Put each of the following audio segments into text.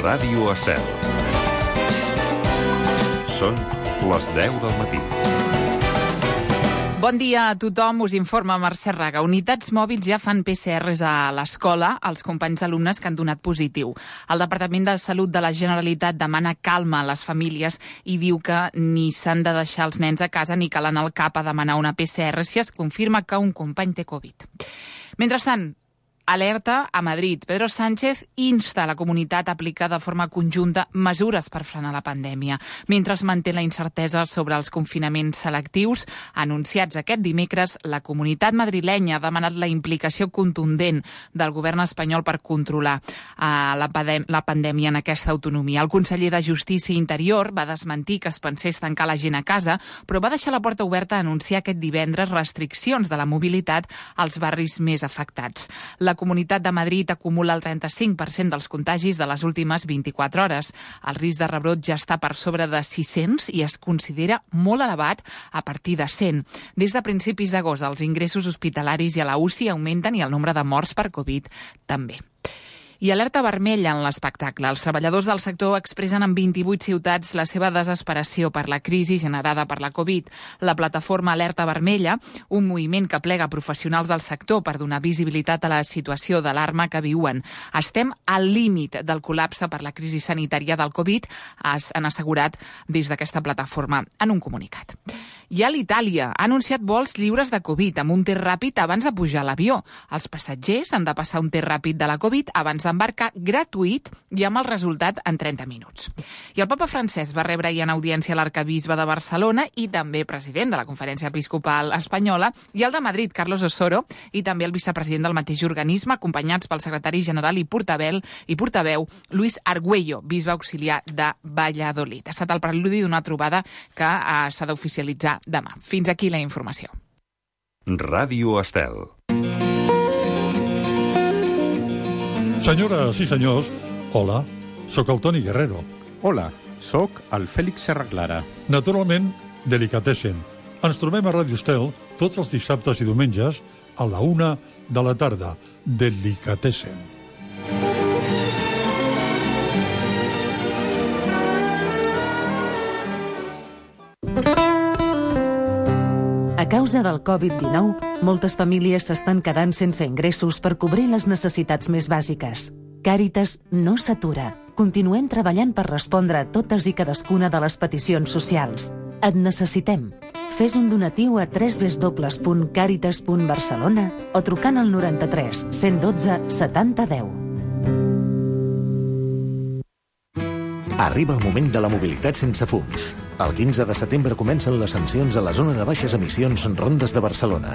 Ràdio Estel. Són les 10 del matí. Bon dia a tothom, us informa Mercè Raga. Unitats mòbils ja fan PCRs a l'escola als companys d'alumnes que han donat positiu. El Departament de Salut de la Generalitat demana calma a les famílies i diu que ni s'han de deixar els nens a casa ni cal anar al CAP a demanar una PCR si es confirma que un company té Covid. Mentrestant, alerta a Madrid. Pedro Sánchez insta a la comunitat a aplicar de forma conjunta mesures per frenar la pandèmia, mentre es manté la incertesa sobre els confinaments selectius. Anunciats aquest dimecres, la comunitat madrilenya ha demanat la implicació contundent del govern espanyol per controlar la pandèmia en aquesta autonomia. El conseller de Justícia i Interior va desmentir que es pensés tancar la gent a casa, però va deixar la porta oberta a anunciar aquest divendres restriccions de la mobilitat als barris més afectats. La Comunitat de Madrid acumula el 35% dels contagis de les últimes 24 hores. El risc de rebrot ja està per sobre de 600 i es considera molt elevat a partir de 100. Des de principis d'agost, els ingressos hospitalaris i a la UCI augmenten i el nombre de morts per Covid també. I alerta vermella en l'espectacle. Els treballadors del sector expressen en 28 ciutats la seva desesperació per la crisi generada per la Covid. La plataforma Alerta Vermella, un moviment que plega professionals del sector per donar visibilitat a la situació d'alarma que viuen. Estem al límit del col·lapse per la crisi sanitària del Covid, han assegurat des d'aquesta plataforma en un comunicat. I a l'Itàlia ha anunciat vols lliures de Covid amb un test ràpid abans de pujar a l'avió. Els passatgers han de passar un test ràpid de la Covid abans d'embarcar gratuït i amb el resultat en 30 minuts. I el papa francès va rebre ahir en audiència l'arcabisbe de Barcelona i també president de la Conferència Episcopal Espanyola i el de Madrid, Carlos Osoro, i també el vicepresident del mateix organisme, acompanyats pel secretari general i portaveu Luis Argüello, bisbe auxiliar de Valladolid. Ha estat el preludi d'una trobada que s'ha d'oficialitzar demà. Fins aquí la informació. Ràdio Estel. Senyores i senyors, hola, sóc el Toni Guerrero. Hola, sóc el Fèlix Serraclara. Naturalment, Delicatessen. Ens trobem a Ràdio Estel tots els dissabtes i diumenges a la 1 de la tarda. Delicatessen. A causa del Covid-19, moltes famílies s'estan quedant sense ingressos per cobrir les necessitats més bàsiques. Càritas no s'atura. Continuem treballant per respondre a totes i cadascuna de les peticions socials. Et necessitem. Fes un donatiu a www.caritas.barcelona o trucant al 93 112 70 10. Arriba el moment de la mobilitat sense fums. El 15 de setembre comencen les sancions a la zona de baixes emissions Rondes de Barcelona.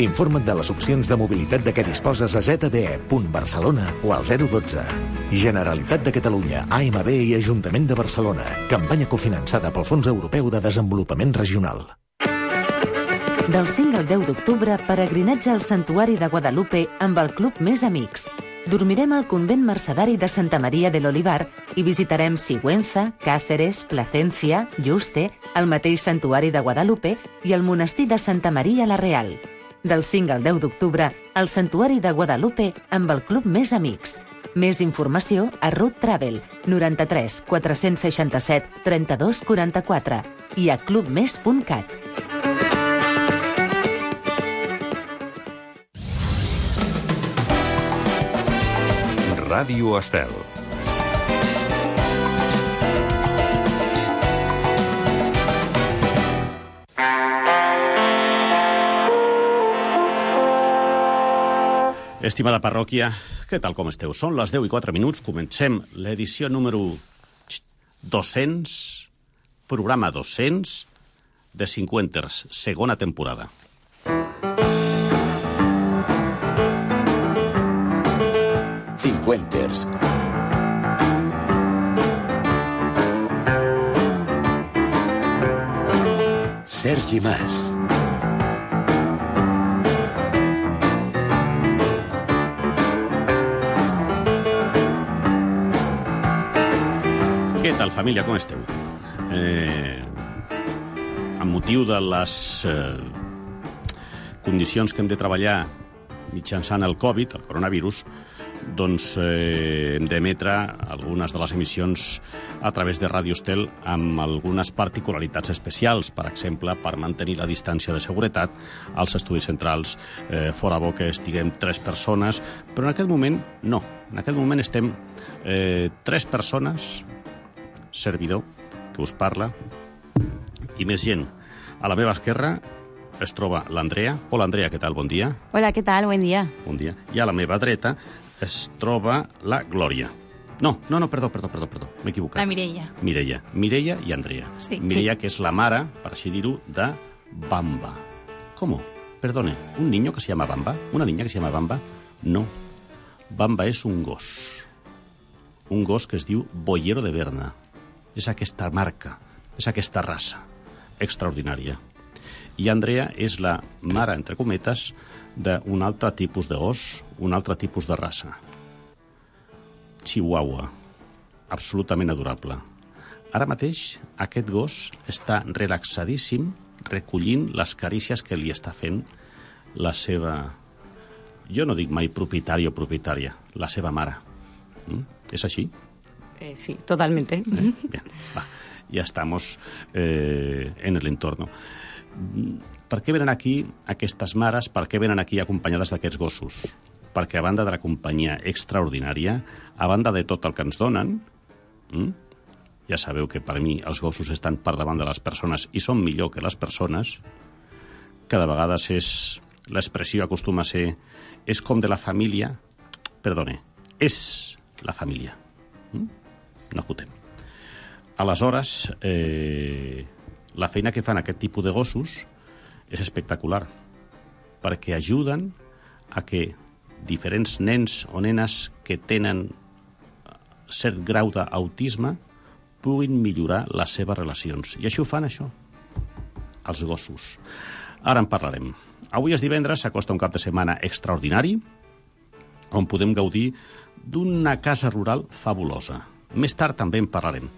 Informa't de les opcions de mobilitat de què disposes a zbe.barcelona o al 012. Generalitat de Catalunya, AMB i Ajuntament de Barcelona. Campanya cofinançada pel Fons Europeu de Desenvolupament Regional. Del 5 al 10 d'octubre, peregrinatge al Santuari de Guadalupe amb el Club Més Amics. Dormirem al convent mercedari de Santa Maria de l'Olivar i visitarem Sigüenza, Cáceres, Placencia, Yuste, el mateix Santuari de Guadalupe i el monestir de Santa Maria la Real. Del 5 al 10 d'octubre, al Santuari de Guadalupe amb el Club Més Amics. Més informació a Route Travel 93 467 32 44 i a clubmes.cat. Ràdio Estel. Estimada parròquia, què tal com esteu? Són les 10:04. Comencem l'edició número 200, programa 200 de Cinquenters, segona temporada. Cinquenters. Sergi Mas. Què tal, família, com esteu? Amb motiu de les condicions que hem de treballar mitjançant el Covid, el coronavirus, hem d'emetre algunes de les emissions a través de Ràdio Estel amb algunes particularitats especials, per exemple, per mantenir la distància de seguretat als estudis centrals. Fora bo que estiguem 3 persones, però en aquest moment no. En aquest moment estem 3 persones, servidor, que us parla, i més gent. A la meva esquerra es troba l'Andrea. Hola, Andrea, què tal? Bon dia. Hola, ¿qué tal? Buen día. Bon dia. I a la meva dreta es troba la Glòria. No, perdó, m'he equivocat. La Mireia. Mireia i Andrea. Sí. Mireia, que és la mare, per així dir-ho, de Bamba. ¿Cómo? Perdone, ¿un niño que se llama Bamba? ¿Una niña que se llama Bamba? No. Bamba és un gos. Un gos que es diu Boyero de Berna. És aquesta marca, és aquesta raça extraordinària. I Andrea és la mare, entre cometes, d'un altre tipus de gos, un altre tipus de raça. Chihuahua. Absolutament adorable. Ara mateix aquest gos està relaxadíssim recollint les carícies que li està fent la seva... Jo no dic mai propietari o propietària, la seva mare. ¿Es així? Sí, totalmente. Bien, va. Ya estamos en el entorno. Per què venen aquí aquestes mares? Per què venen aquí acompanyades d'aquests gossos? Perquè a banda de la companyia extraordinària, a banda de tot el que ens donen, ja sabeu que per mi els gossos estan per davant de les persones i són millor que les persones, cada vegada l'expressió acostuma a ser és com de la família, perdone, és la família. No acotem. Aleshores, la feina que fan aquest tipus de gossos és espectacular, perquè ajuden a que diferents nens o nenes que tenen cert grau d'autisme puguin millorar les seves relacions. I això ho fan, això, els gossos. Ara en parlarem. Avui és divendres, s'acosta un cap de setmana extraordinari, on podem gaudir d'una casa rural fabulosa. Més tard també en parlarem.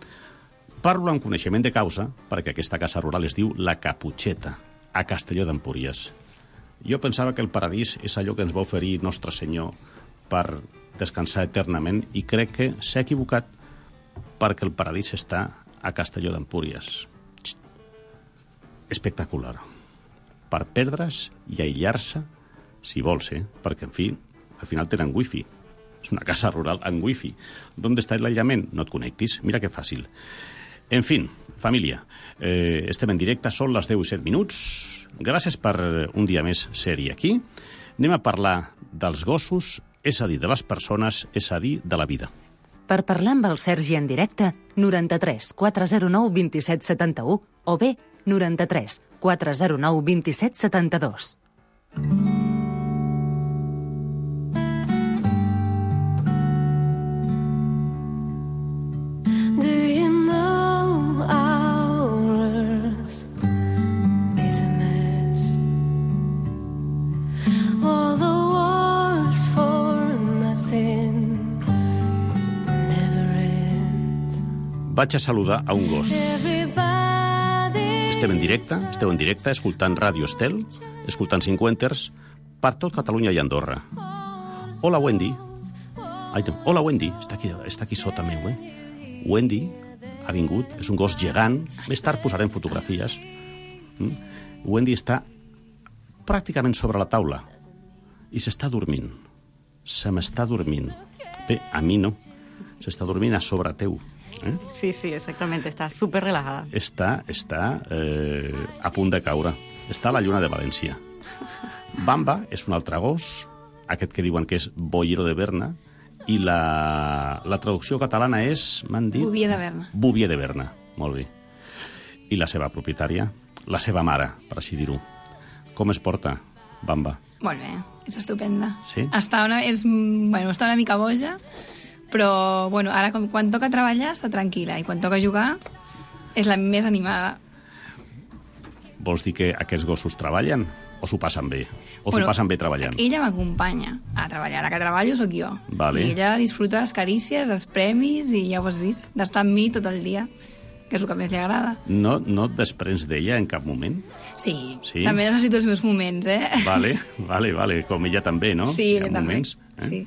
Parlo amb coneixement de causa perquè aquesta casa rural es diu La Caputxeta, a Castelló d'Empúries. Jo pensava que el paradís és allò que ens va oferir Nostre Senyor per descansar eternament i crec que s'ha equivocat perquè el paradís està a Castelló d'Empúries. Espectacular. Per perdre's i aïllar-se, si vols, perquè, en fi, al final tenen wifi. És una casa rural amb wifi. ¿Dónde está el aïllament? No et connectis. Mira que fàcil. En fin, família, estem en directe, són les 10:07. Gràcies per un dia més ser-hi aquí. Anem a parlar dels gossos, és a dir, de les persones, és a dir, de la vida. Per parlar amb el Sergi en directe, 93 409 27 71 o bé 93 409 27 72. Vaig a saludar a un gos. Esteu en directe, escoltant Ràdio Estel, escoltant 50ers, per tot Catalunya i Andorra. Hola, Wendy. Ai, no. Hola, Wendy. Està aquí sota meu, Wendy ha vingut, és un gos gegant. Més tard posarem fotografies. Wendy està pràcticament sobre la taula i s'està dormint. Se m'està dormint. Bé, a mi no. S'està dormint a sobre teu. Sí, exactamente, está súper relajada. Està a punt de caure. Està a la lluna de València. Bamba és un altre gos, aquest que diuen que és Boyero de Berna, i la traducció catalana és, m'han dit... Bouvier de Berna. Bouvier de Berna, molt bé. I la seva propietària, la seva mare, per així dir-ho. Com es porta, Bamba? Molt bé, és estupenda. Sí? Està una mica boja, però ara quan toca treballar està tranquil·la i quan toca jugar és la més animada. Vols dir que aquests gossos treballen o s'ho passen bé? O s'ho passen bé treballant? Ella m'acompanya a treballar. La que treballo sóc jo. Vale. I ella disfruta les carícies, dels premis i ja ho has vist, d'estar amb mi tot el dia, que és el que més li agrada. No et desprens d'ella en cap moment? Sí, també necessito els meus moments, Vale, com ella també, no? Sí, ella també. Moments, Sí.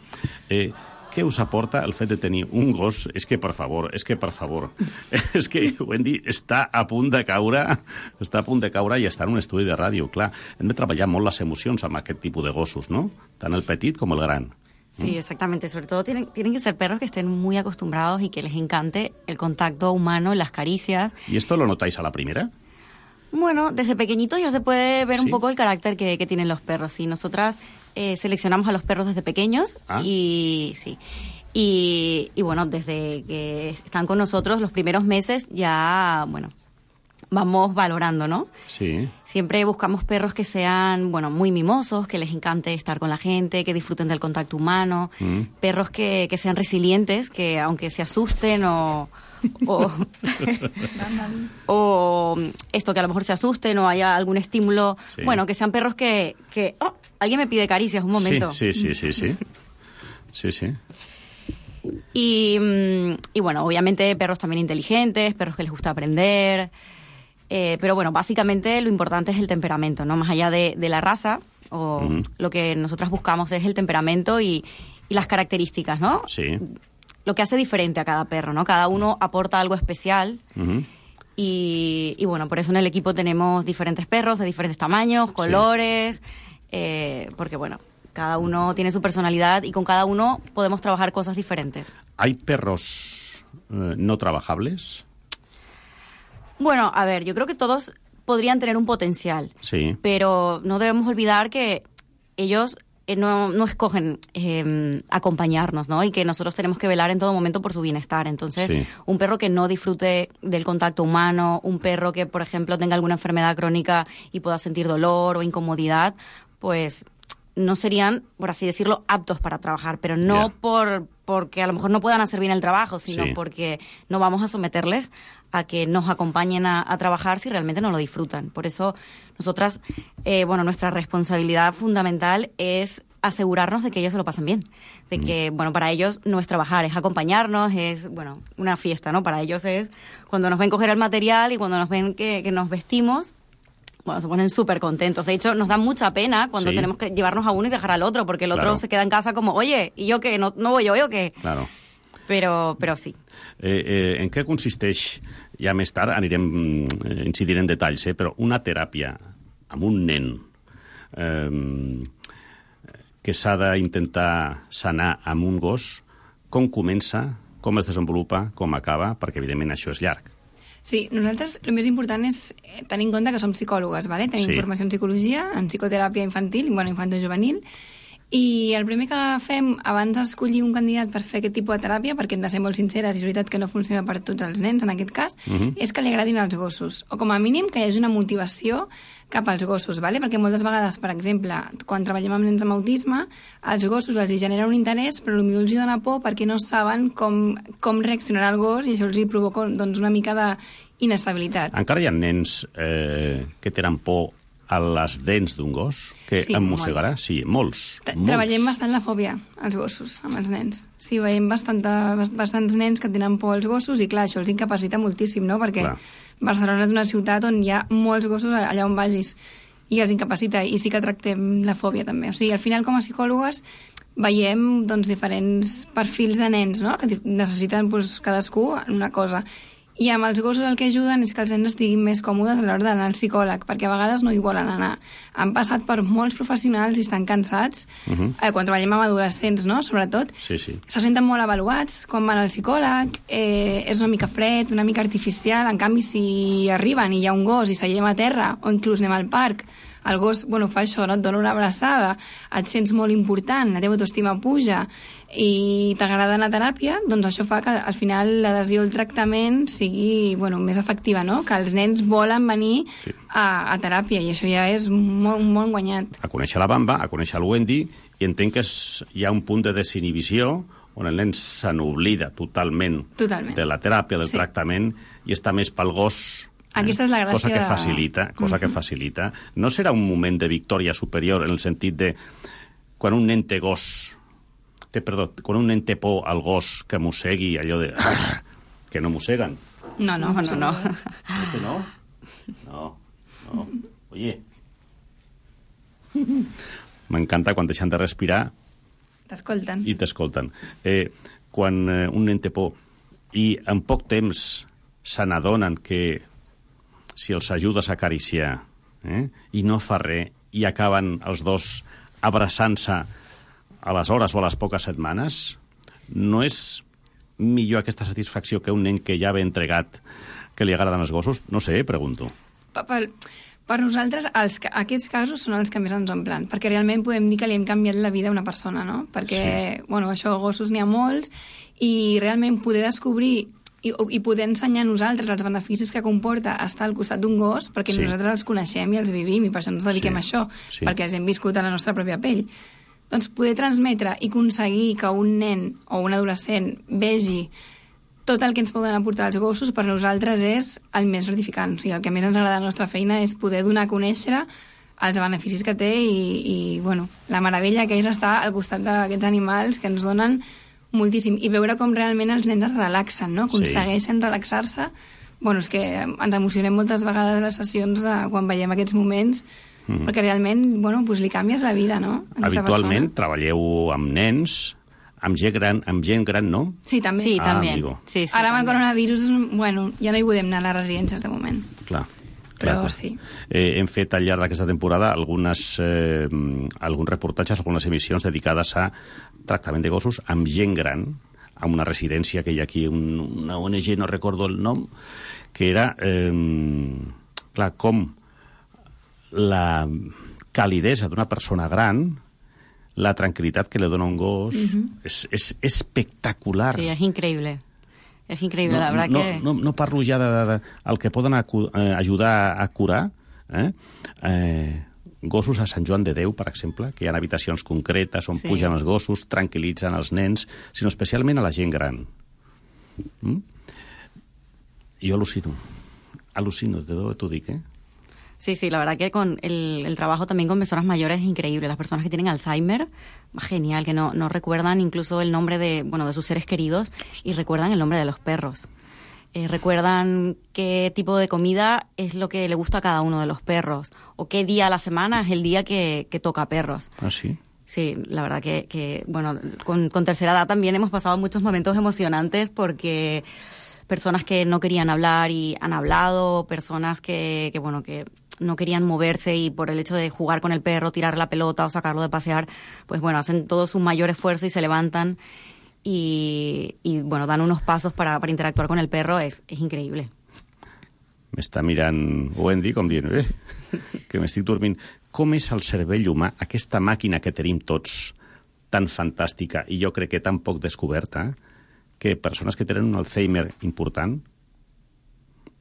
què us aporta el fet de tenir un gos? És que, per favor, és que, Wendy, està a punt de caure i està en un estudi de ràdio, clar. Hem de treballar molt les emocions amb aquest tipus de gossos, ¿no? Tant el petit com el gran. Sí, exactamente. Sobre todo tienen que ser perros que estén muy acostumbrados y que les encante el contacto humano, las caricias. ¿Y esto lo notáis a la primera? Bueno, desde pequeñitos ya se puede ver ¿Sí? un poco el carácter que tienen los perros. Y nosotras seleccionamos a los perros desde pequeños y sí. Y bueno, desde que están con nosotros los primeros meses ya, bueno, vamos valorando, ¿no? Sí. Siempre buscamos perros que sean, bueno, muy mimosos, que les encante estar con la gente, que disfruten del contacto humano, perros que sean resilientes, que aunque se asusten o esto, que a lo mejor se asusten o haya algún estímulo, sí. Bueno, que sean perros que alguien me pide caricias, un momento. Sí. Y bueno, obviamente perros también inteligentes, perros que les gusta aprender, pero bueno, básicamente lo importante es el temperamento, ¿no? Más allá de la raza, lo que nosotras buscamos es el temperamento y las características, ¿no? Sí. Lo que hace diferente a cada perro, ¿no? Cada uno aporta algo especial. Y bueno, por eso en el equipo tenemos diferentes perros de diferentes tamaños, colores, porque bueno, cada uno tiene su personalidad y con cada uno podemos trabajar cosas diferentes. ¿Hay perros no trabajables? Bueno, a ver, yo creo que todos podrían tener un potencial, sí. Pero no debemos olvidar que ellos no escogen acompañarnos, ¿no? Y que nosotros tenemos que velar en todo momento por su bienestar. Entonces, sí. Un perro que no disfrute del contacto humano, un perro que, por ejemplo, tenga alguna enfermedad crónica y pueda sentir dolor o incomodidad, pues no serían, por así decirlo, aptos para trabajar, pero no porque a lo mejor no puedan hacer bien el trabajo, sino sí. Porque no vamos a someterles a que nos acompañen a trabajar si realmente no lo disfrutan. Por eso nosotras, bueno, nuestra responsabilidad fundamental es asegurarnos de que ellos se lo pasen bien, de que, bueno, para ellos no es trabajar, es acompañarnos, es, bueno, una fiesta, ¿no? Para ellos es cuando nos ven coger el material y cuando nos ven que nos vestimos, bueno, se ponen súper contentos. De hecho, nos da mucha pena cuando tenemos que llevarnos a uno y dejar al otro, porque el otro se queda en casa como, oye, ¿y yo qué? ¿No voy yo o qué? Claro. Pero sí. En què consisteix, ja més tard incidirem en detalls, però una teràpia amb un nen que s'ha d'intentar sanar amb un gos, com comença, com es desenvolupa, com acaba, perquè evidentment això és llarg. Sí, nosaltres el més important és tenir en compte que som psicòlogues, ¿vale? Tenim formació en psicologia, en psicoteràpia infantil, bueno, infantojuvenil, i el primer que fem abans d'escollir un candidat per fer aquest tipus de teràpia, perquè hem de ser molt sinceres i és veritat que no funciona per tots els nens en aquest cas, és que li agradin els gossos, o com a mínim que hi hagi una motivació cap als gossos, ¿vale? Perquè moltes vegades, per exemple, quan treballem amb nens amb autisme, als gossos els genera un interès, però potser els dona por perquè no saben com reaccionarà el gos i això els provoca doncs, una mica d'inestabilitat. Encara hi ha nens que tenen por a les dents d'un gos que mossegarà? Sí, molts. Treballem bastant la fòbia als gossos, amb els nens. Sí, veiem bastants nens que tenen por als gossos i, clar, això els incapacita moltíssim, no? Perquè Barcelona és una ciutat on hi ha molts gossos allà on vagis i els incapacita, i sí que tractem la fòbia també. O sigui, al final, com a psicòlogues, veiem doncs, diferents perfils de nens, no? Que necessiten doncs, cadascú una cosa. I amb els gossos el que ajuden és que els nens estiguin més còmodes a l'hora d'anar al psicòleg, perquè a vegades no hi volen anar. Han passat per molts professionals i estan cansats, quan treballem amb adolescents, no?, sobretot. Se senten molt avaluats quan van al psicòleg, és una mica fred, una mica artificial, en canvi si arriben i hi ha un gos i seiem a terra, o inclús anem al parc, el gos, bueno, fa això, no? Et dona una abraçada, et sents molt important, la teva autoestima puja i t'agrada anar a teràpia, doncs això fa que al final l'adhesió al tractament sigui, bueno, més efectiva, no? Que els nens volen venir a teràpia i això ja és molt guanyat. A conèixer la Bamba, a conèixer el Wendy, i entenc que hi ha un punt de desinhibició on el nen se n'oblida totalment de la teràpia, del tractament, i està més pel gos. Aquesta és la gràcia cosa que facilita. No serà un moment de victòria superior en el sentit de quan un nen té quan un nen té por al gos que mossegui, allò de que no mosseguen. No. ¿Que no? No. Oye. M'encanta quan deixen de respirar T'escolten. I t'escolten. Quan un nen té por i en poc temps se n'adonen que si els ajudes a acariciar i no fa res, i acaben els dos abraçant-se a les hores o a les poques setmanes, no és millor aquesta satisfacció que un nen que ja ve entregat, que li agraden els gossos? No sé, pregunto. Per nosaltres, aquests casos són els que més ens omplen, perquè realment podem dir que li hem canviat la vida a una persona, no? Perquè, això, gossos n'hi ha molts, i realment poder descobrir i poder ensenyar a nosaltres els beneficis que comporta estar al costat d'un gos, perquè nosaltres els coneixem i els vivim, i per això ens dediquem a això, perquè els hem viscut a la nostra pròpia pell. Doncs poder transmetre i aconseguir que un nen o un adolescent vegi tot el que ens poden aportar els gossos, per nosaltres és el més gratificant. O sigui, el que més ens agrada de la nostra feina és poder donar a conèixer els beneficis que té i la meravella que és estar al costat d'aquests animals que ens donen moltíssim. I veure com realment els nens es relaxen, no? Aconsegueixen relaxar-se. És que ens emocionem moltes vegades a les sessions quan veiem aquests moments, perquè realment li canvies la vida, no? Habitualment treballeu amb nens, amb gent gran, no? Sí, també. Sí, també. Sí, ara amb el coronavirus, ja no hi podem anar a les residències de moment. Clar. Però sí. Hem fet al llarg d'aquesta temporada alguns reportatges, algunes emissions dedicades a tractament de gossos amb gent gran, a una residència que hi ha aquí, una ONG, no recordo el nom, que era, com la calidesa d'una persona gran, la tranquil·litat que le dona un gos, és espectacular. Sí, és increïble. És increïble, la verdad que... No parlo ja del que poden ajudar a curar, gossos a Sant Joan de Déu, per exemple, que hi ha habitacions concretes on pugen els gossos, tranquil·litzen els nens, sinó especialment a la gent gran. Jo al·lucino, t'ho dic, Sí, la verdad que con el trabajo también con personas mayores es increíble. Las personas que tienen Alzheimer, genial, que no recuerdan incluso el nombre de sus seres queridos y recuerdan el nombre de los perros. Recuerdan qué tipo de comida es lo que le gusta a cada uno de los perros o qué día a la semana es el día que toca perros. ¿Ah, sí? Sí, la verdad que con tercera edad también hemos pasado muchos momentos emocionantes porque personas que no querían hablar y han hablado, personas que no querían moverse y por el hecho de jugar con el perro, tirar la pelota o sacarlo de pasear, hacen todo su mayor esfuerzo y se levantan y dan unos pasos para interactuar con el perro. Es increïble. M'està mirant Wendy com dient, que m'estic dormint. Com és el cervell humà, aquesta màquina que tenim tots, tan fantàstica i jo crec que tan poc descoberta, que persones que tenen un Alzheimer important,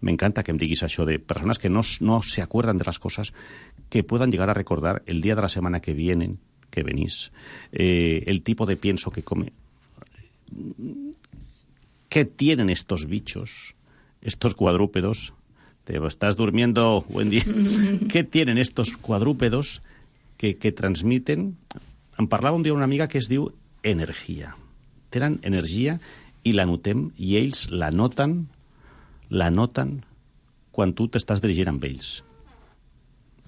me encanta que em diguis això de personas que no se acuerdan de las cosas, que puedan llegar a recordar el día de la semana que venís, el tipo de pienso que come. ¿Qué tienen estos bichos, estos cuadrúpedos? Te estás durmiendo, Wendy. ¿Qué tienen estos cuadrúpedos que transmiten? Em parlava un dia una amiga que es diu energia. Tenen energia i la notem, i ells la noten quan tu t'estàs dirigint amb ells.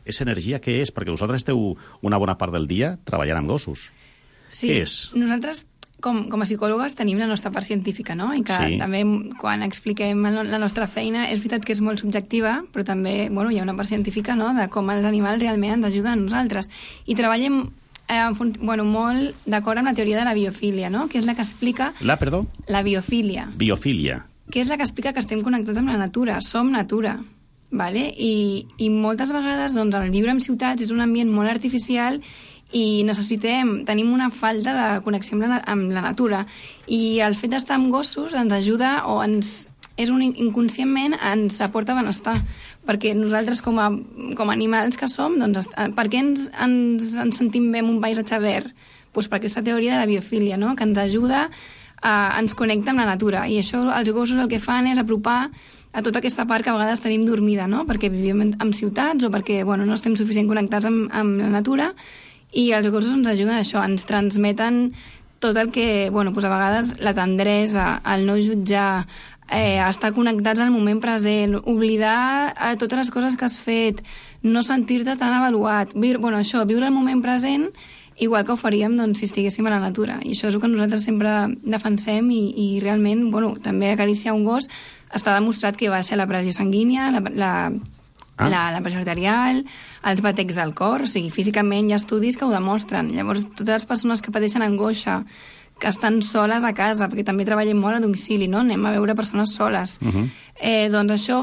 És energia, què és? Perquè vosaltres esteu una bona part del dia treballant amb gossos. Sí, què és? Nosaltres, com a psicòlogues, tenim la nostra part científica, no? I que també, quan expliquem la nostra feina, és veritat que és molt subjectiva, però també, hi ha una part científica, no?, de com els animals realment ens ajuden a nosaltres. I treballem molt d'acord amb la teoria de la biofília, no?, que és la que explica... La biofília. Biofília. Que és la que explica que estem connectats amb la natura, som natura, ¿vale? I moltes vegades el viure en ciutats és un ambient molt artificial i tenim una falta de connexió amb la natura, i el fet d'estar amb gossos ens ajuda inconscientment ens aporta benestar, perquè nosaltres com a animals que som, per què ens sentim bé en un paisatge verd? Doncs per aquesta teoria de la biofília, no?, que ens ajuda ens connecta amb la natura, i això els gossos el que fan és apropar a tota aquesta part que a vegades tenim dormida, no?, perquè vivim en ciutats o perquè no estem suficient connectats amb la natura, i els gossos ens ajuden a això, ens transmeten tot el que, a vegades la tendresa, el no jutjar, estar connectats al moment present, oblidar totes les coses que has fet, no sentir-te tan avaluat, viure el moment present igual que ho faríem doncs, si estiguéssim a la natura. I això és el que nosaltres sempre defensem i realment, bueno, també acariciar un gos està demostrat que baixa la pressió sanguínia, la pressió arterial, els batecs del cor, o sigui, físicament hi ha estudis que ho demostren. Llavors, totes les persones que pateixen angoixa, que estan soles a casa, perquè també treballem molt a domicili, no? Anem a veure persones soles. Doncs això,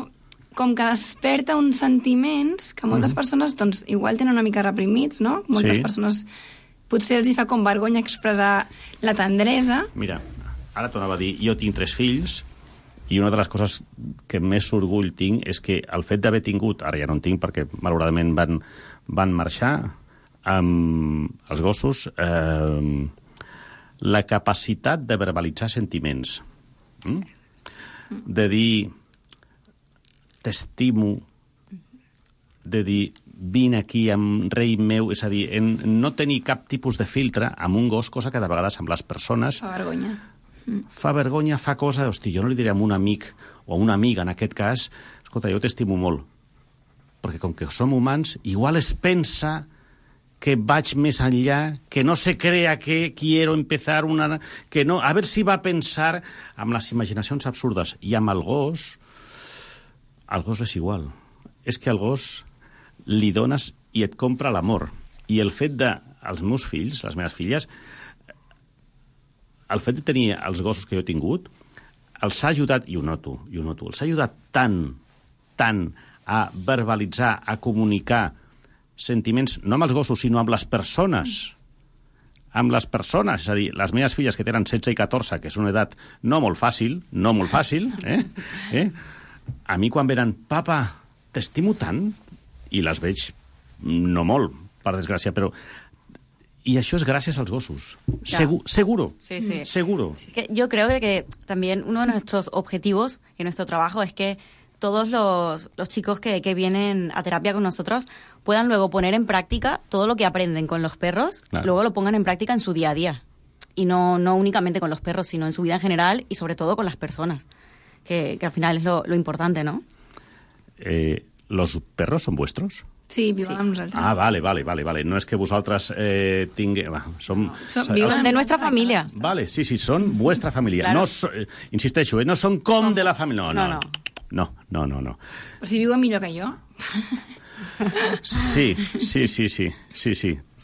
com que desperta uns sentiments que moltes persones, doncs, igual tenen una mica reprimits, no? Moltes persones, potser els hi fa com vergonya expressar la tendresa. Mira, ara t'ho anava a dir, jo tinc 3 fills, i una de les coses que més orgull tinc és que el fet d'haver tingut, ara ja no en tinc perquè malauradament van marxar, els gossos, la capacitat de verbalitzar sentiments, de dir t'estimo, de dir vine aquí amb rei meu, és a dir, no tenir cap tipus de filtre amb un gos, cosa que de vegades amb les persones fa vergonya. Fa vergonya, fa cosa, hosti, jo no li diré a un amic o a una amiga, en aquest cas, escolta, jo t'estimo molt, perquè com que som humans, igual es pensa que vaig més enllà, que no se crea que quiero empezar una... que no, a veure si va a pensar amb les imaginacions absurdes. I amb el gos és igual. És que al gos li dones i et compra l'amor. I el fet de... els meus fills, les meves filles, el fet de tenir els gossos que jo he tingut, els ha ajudat, i ho noto, els ha ajudat tant a verbalitzar, a comunicar sentiments, no amb els gossos, sinó amb les persones. Amb les persones, és a dir, les meves filles que tenen 16 i 14, que és una edat no molt fàcil, a mi quan venen, papa, t'estimo tant, i les veig no molt, per desgràcia, però... Y eso es gracias a los gossos. Seguro. Sí, sí. Seguro. Yo creo que también uno de nuestros objetivos en nuestro trabajo es que todos los chicos que vienen a terapia con nosotros puedan luego poner en práctica todo lo que aprenden con los perros, luego lo pongan en práctica en su día a día. Y no únicamente con los perros, sino en su vida en general y sobre todo con las personas, que al final es lo importante, ¿no? ¿Los perros son vuestros? Sí, viuen amb nosaltres. Ah, vale. No és que vosaltres tingueu... Són de nuestra família. Vale, sí, són vuestra família. Claro. Insisteixo, no són com de la família. No. Però si viuen millor que jo. Sí.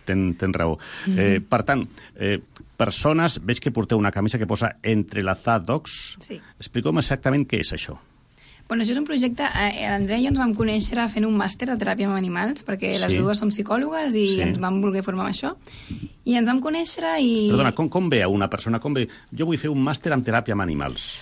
Tens raó. Per tant, persones, veig que porteu una camisa que posa Entrelazados. Sí. Expliqueu-me exactament què és això. Bueno, això és un projecte... L'Andrea i jo ens vam conèixer fent un màster de teràpia amb animals, perquè les dues som psicòlogues i ens vam voler formar amb això. I ens vam conèixer i... Perdona, com ve a una persona? Jo vull fer un màster en teràpia amb animals.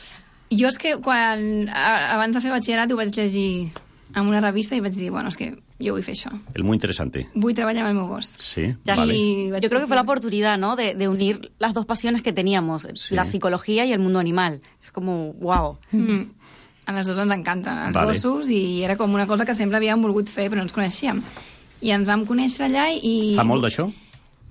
Jo és que abans de fer batxillerat ho vaig llegir en una revista i vaig dir, bueno, és que yo vull fer això. Muy interesante. Vull treballar amb el meu gos. Sí, vale. Yo creo que fue la oportunidad, ¿no?, de unir las dos pasiones que teníamos, la psicología y el mundo animal. Es como, wow. A les dues ens encanten els gossos i era com una cosa que sempre havíem volgut fer però no ens coneixíem. I ens vam conèixer allà i... Fa molt d'això?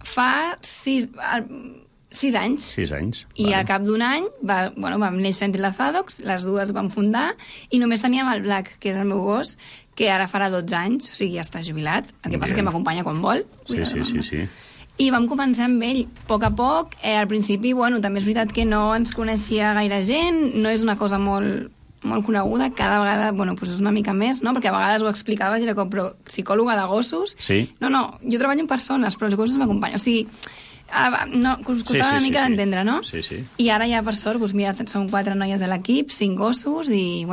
Fa 6 anys. 6 anys. I al cap d'un any vam néixer Entrelazados, les dues vam fundar i només teníem el Black, que és el meu gos, que ara farà 12 anys, o sigui, ja està jubilat. El que passa és que m'acompanya quan vol. Sí. I vam començar amb ell, a poc. Al principi, també és veritat que no ens coneixia gaire gent, no és una cosa molt coneguda, cada vegada, és una mica més, no? Perquè a vegades ho explicaves i era com, però psicòloga de gossos? Sí. No, jo treballo amb persones, però els gossos m'acompanyen. O sigui, costava una mica d'entendre, no? Sí. I ara ja, per sort, mira, som 4 noies de l'equip, 5 gossos, i,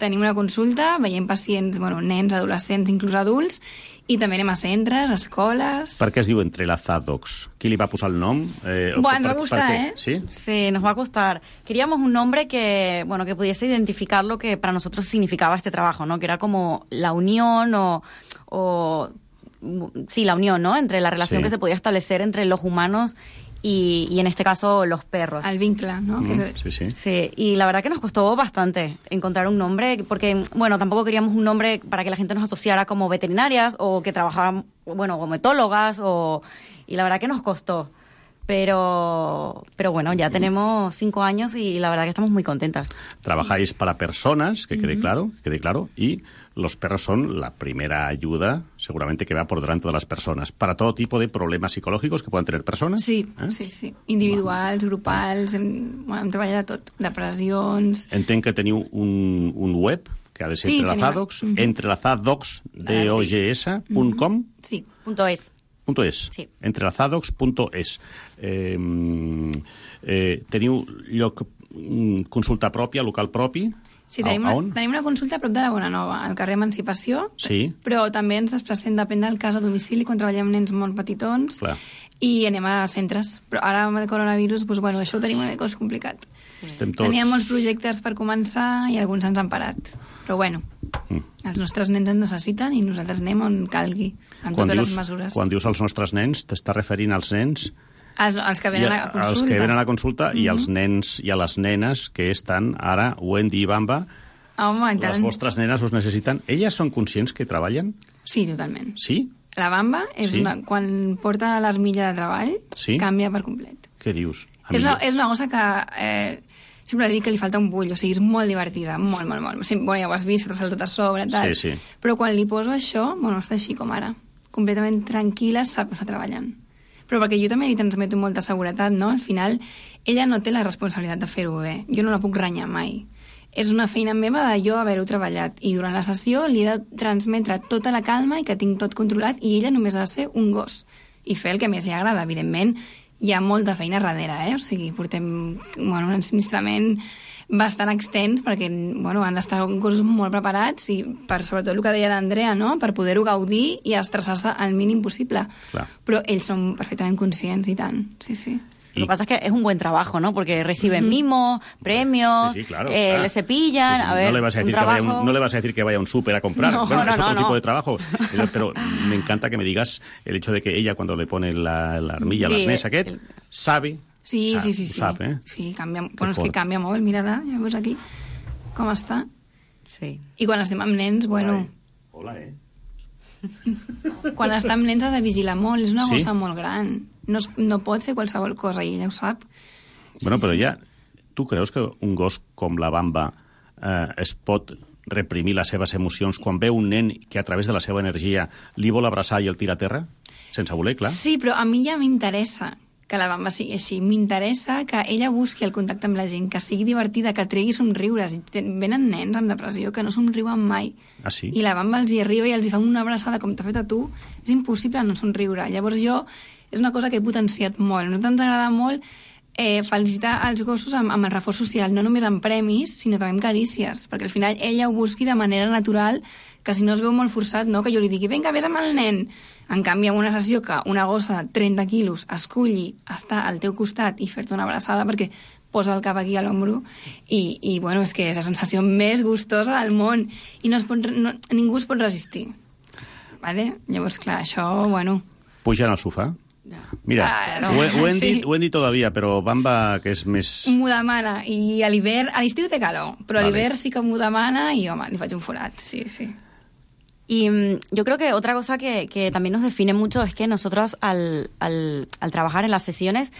tenim una consulta, veiem pacients, nens, adolescents, inclús adults, i també anem a centres, escoles... Per què es diu Entrelazados? Qui li va posar el nom? Ens va gustar, ¿eh? ¿Sí? Sí, nos va a gustar. Queríamos un nombre que pudiese identificar lo que para nosotros significaba este trabajo, ¿no? Que era como la unión sí, la unión, ¿no? Entre la relación que se podía establecer entre los humanos y en este caso los perros. Al vincle, ¿no? Sí, y la verdad que nos costó bastante encontrar un nombre, porque, tampoco queríamos un nombre para que la gente nos asociara como veterinarias o que trabajaran, como etólogas, y la verdad que nos costó. Pero bueno, ya tenemos 5 años y la verdad que estamos muy contentas. Trabajáis para personas, que quede claro, y los perros son la primera ayuda, seguramente, que va por delante de las personas, para todo tipo de problemas psicològics que poden tenir persones. Sí, sí. Individuals, grupals, hem treballat de tot, depressions... Entenc que teniu un web, que ha de ser Entrelazadogs, entrelazadogs.com. Sí, .es. Sí. Entrelazadogs.es. Teniu lloc, consulta pròpia, local propi? Sí, tenim una consulta a prop de la Bonanova, al carrer Emancipació, però també ens desplacem, depèn del cas, a domicili, quan treballem amb nens molt petitons, i anem a centres. Però ara, amb el coronavirus, això ho tenim una mica complicat. Teníem molts projectes per començar i alguns ens han parat. Però els nostres nens ens necessiten i nosaltres anem on calgui, amb totes les mesures. Quan dius els nostres nens, t'estàs referint als nens... Els que venen a la consulta. Els que venen a la consulta i als nens i a les nenes que estan ara, Wendy i Bamba. Home, les vostres nenes us necessiten. Elles són conscients que treballen? Sí, totalment. Sí? La Bamba, quan porta l'armilla de treball, canvia per complet. Què dius? És una cosa que... sempre dic que li falta un bull, o sigui, és molt divertida, molt. Ja ho has vist, t'ha saltat a sobre, tal. Sí. Però quan li poso això, està així com ara. Completament tranquil·la, sap que està treballant. Però perquè jo també li transmeto molta seguretat, no? Al final, ella no té la responsabilitat de fer-ho bé. Jo no la puc renyar mai. És una feina meva de jo haver-ho treballat. I durant la sessió li he de transmetre tota la calma i que tinc tot controlat i ella només ha de ser un gos. I fer el que més li agrada. Evidentment, hi ha molta feina darrere, O sigui, portem un ensinistrament bastant extens perquè han d'estar gossos molt preparats i per sobretot el que deia l'Andrea, no? Per poder-ho gaudir i estressar-se al mínim possible. Però ells són perfectament conscients i tant, sí. Lo que pasa es que es un buen trabajo, ¿no? Porque reciben mimos, premios, le cepillan, a ver, no le vas a decir no le vas a decir que vaya a un súper a comprar, es otro tipo de trabajo. Pero me encanta que me digas el hecho de que ella, cuando le pone la armilla al arnès aquest, sabe... Sí. Sap, Sí, canvia, és que canvia molt, mira-la, ja veus aquí com està. Sí. I quan estem amb nens, Hola, Quan està amb nens ha de vigilar molt, és una gossa molt gran. No pot fer qualsevol cosa i ella ho sap. Però ja, tu creus que un gos com la Bamba es pot reprimir les seves emocions quan veu un nen que a través de la seva energia li vol abraçar i el tira a terra? Sense voler, clar. Sí, però a mi ja m'interessa que la Bamba sigui així. M'interessa que ella busqui el contacte amb la gent, que sigui divertida, que tregui somriures. Venen nens amb depressió que no somriuen mai. Ah, sí? I la Bamba els hi arriba i els hi fa una abraçada com t'ha fet a tu. És impossible no somriure. Llavors és una cosa que he potenciat molt. A nosaltres ens agrada molt felicitar els gossos amb el reforç social, no només amb premis, sinó també amb carícies, perquè al final ella ho busqui de manera natural, que si no es veu molt forçat, no? Que jo li digui, vinga, vés amb el nen. En canvi, en una sessió que una gossa de 30 quilos esculli estar al teu costat i fer-te una abraçada perquè posa el cap aquí a l'ombro i és que és la sensació més gustosa del món i ningú es pot resistir. Vale? Llavors, clar, això, Pugen al sofà? Mira, ho hem dit todavía, però Bamba, que és més... M'ho demana, i a l'hivern, a l'estiu té calor, però a l'hivern sí que m'ho demana i, home, li faig un forat, sí. Y yo creo que otra cosa que también nos define mucho es que nosotros al trabajar en las sesiones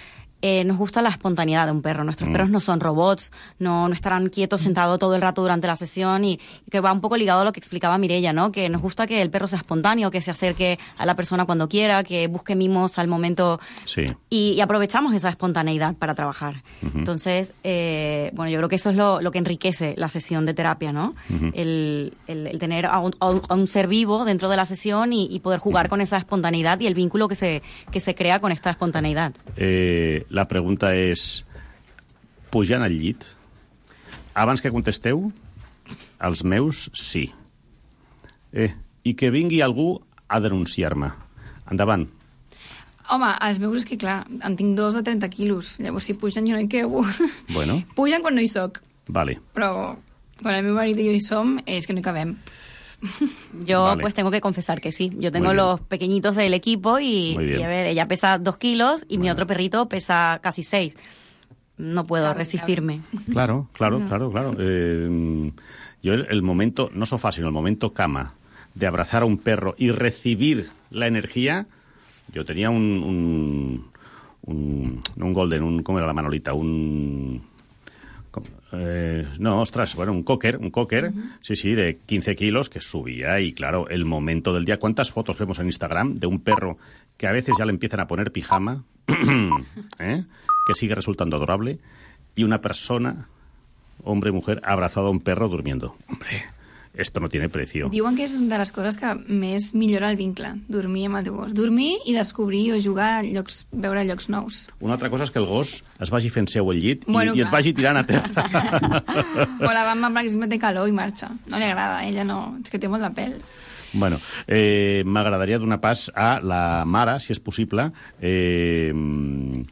nos gusta la espontaneidad de un perro. Nuestros perros no son robots, no estarán quietos sentados todo el rato durante la sesión y que va un poco ligado a lo que explicaba Mireia, ¿no? Que nos gusta que el perro sea espontáneo, que se acerque a la persona cuando quiera, que busque mimos al momento. Sí. Y aprovechamos esa espontaneidad para trabajar. Entonces, yo creo que eso es lo que enriquece la sesión de terapia, ¿no? El tener a un ser vivo dentro de la sesión y poder jugar con esa espontaneidad y el vínculo que se crea con esta espontaneidad. La pregunta és, pujant al llit? Abans que contesteu, els meus sí. I que vingui algú a denunciar-me. Endavant. Home, els meus és que, clar, en tinc 2 de 30 quilos. Llavors, si pugen, jo no hi quebo. Bueno. Pugen quan no hi soc. Vale. Però quan el meu marit i jo hi som, és que no hi cabem. Yo pues tengo que confesar que sí. Yo tengo los pequeñitos del equipo y a ver, ella pesa 2 kilos y mi otro perrito pesa casi 6. No puedo resistirme. Claro. Yo el momento, no sofá, sino el momento cama, de abrazar a un perro y recibir la energía, yo tenía un un golden, com era la Manolita? No, ostras, bueno, un cocker, sí, de 15 kilos que subía y, claro, el momento del día. ¿Cuántas fotos vemos en Instagram de un perro que a veces ya le empiezan a poner pijama, que sigue resultando adorable, y una persona, hombre, mujer, abrazado a un perro durmiendo? Hombre, esto no tiene precio. Diuen que és una de les coses que més millora el vincle, dormir amb el teu gos. Dormir i descobrir o jugar a llocs, veure llocs nous. Una altra cosa és que el gos es vagi fent seu al llit Bueno, i et vagi tirant a terra. O la Bamba, per exemple, té calor i marxa. No li agrada, ella no, és que té molt de pèl. Bueno, m'agradaria donar pas a la mare, si és possible, d'un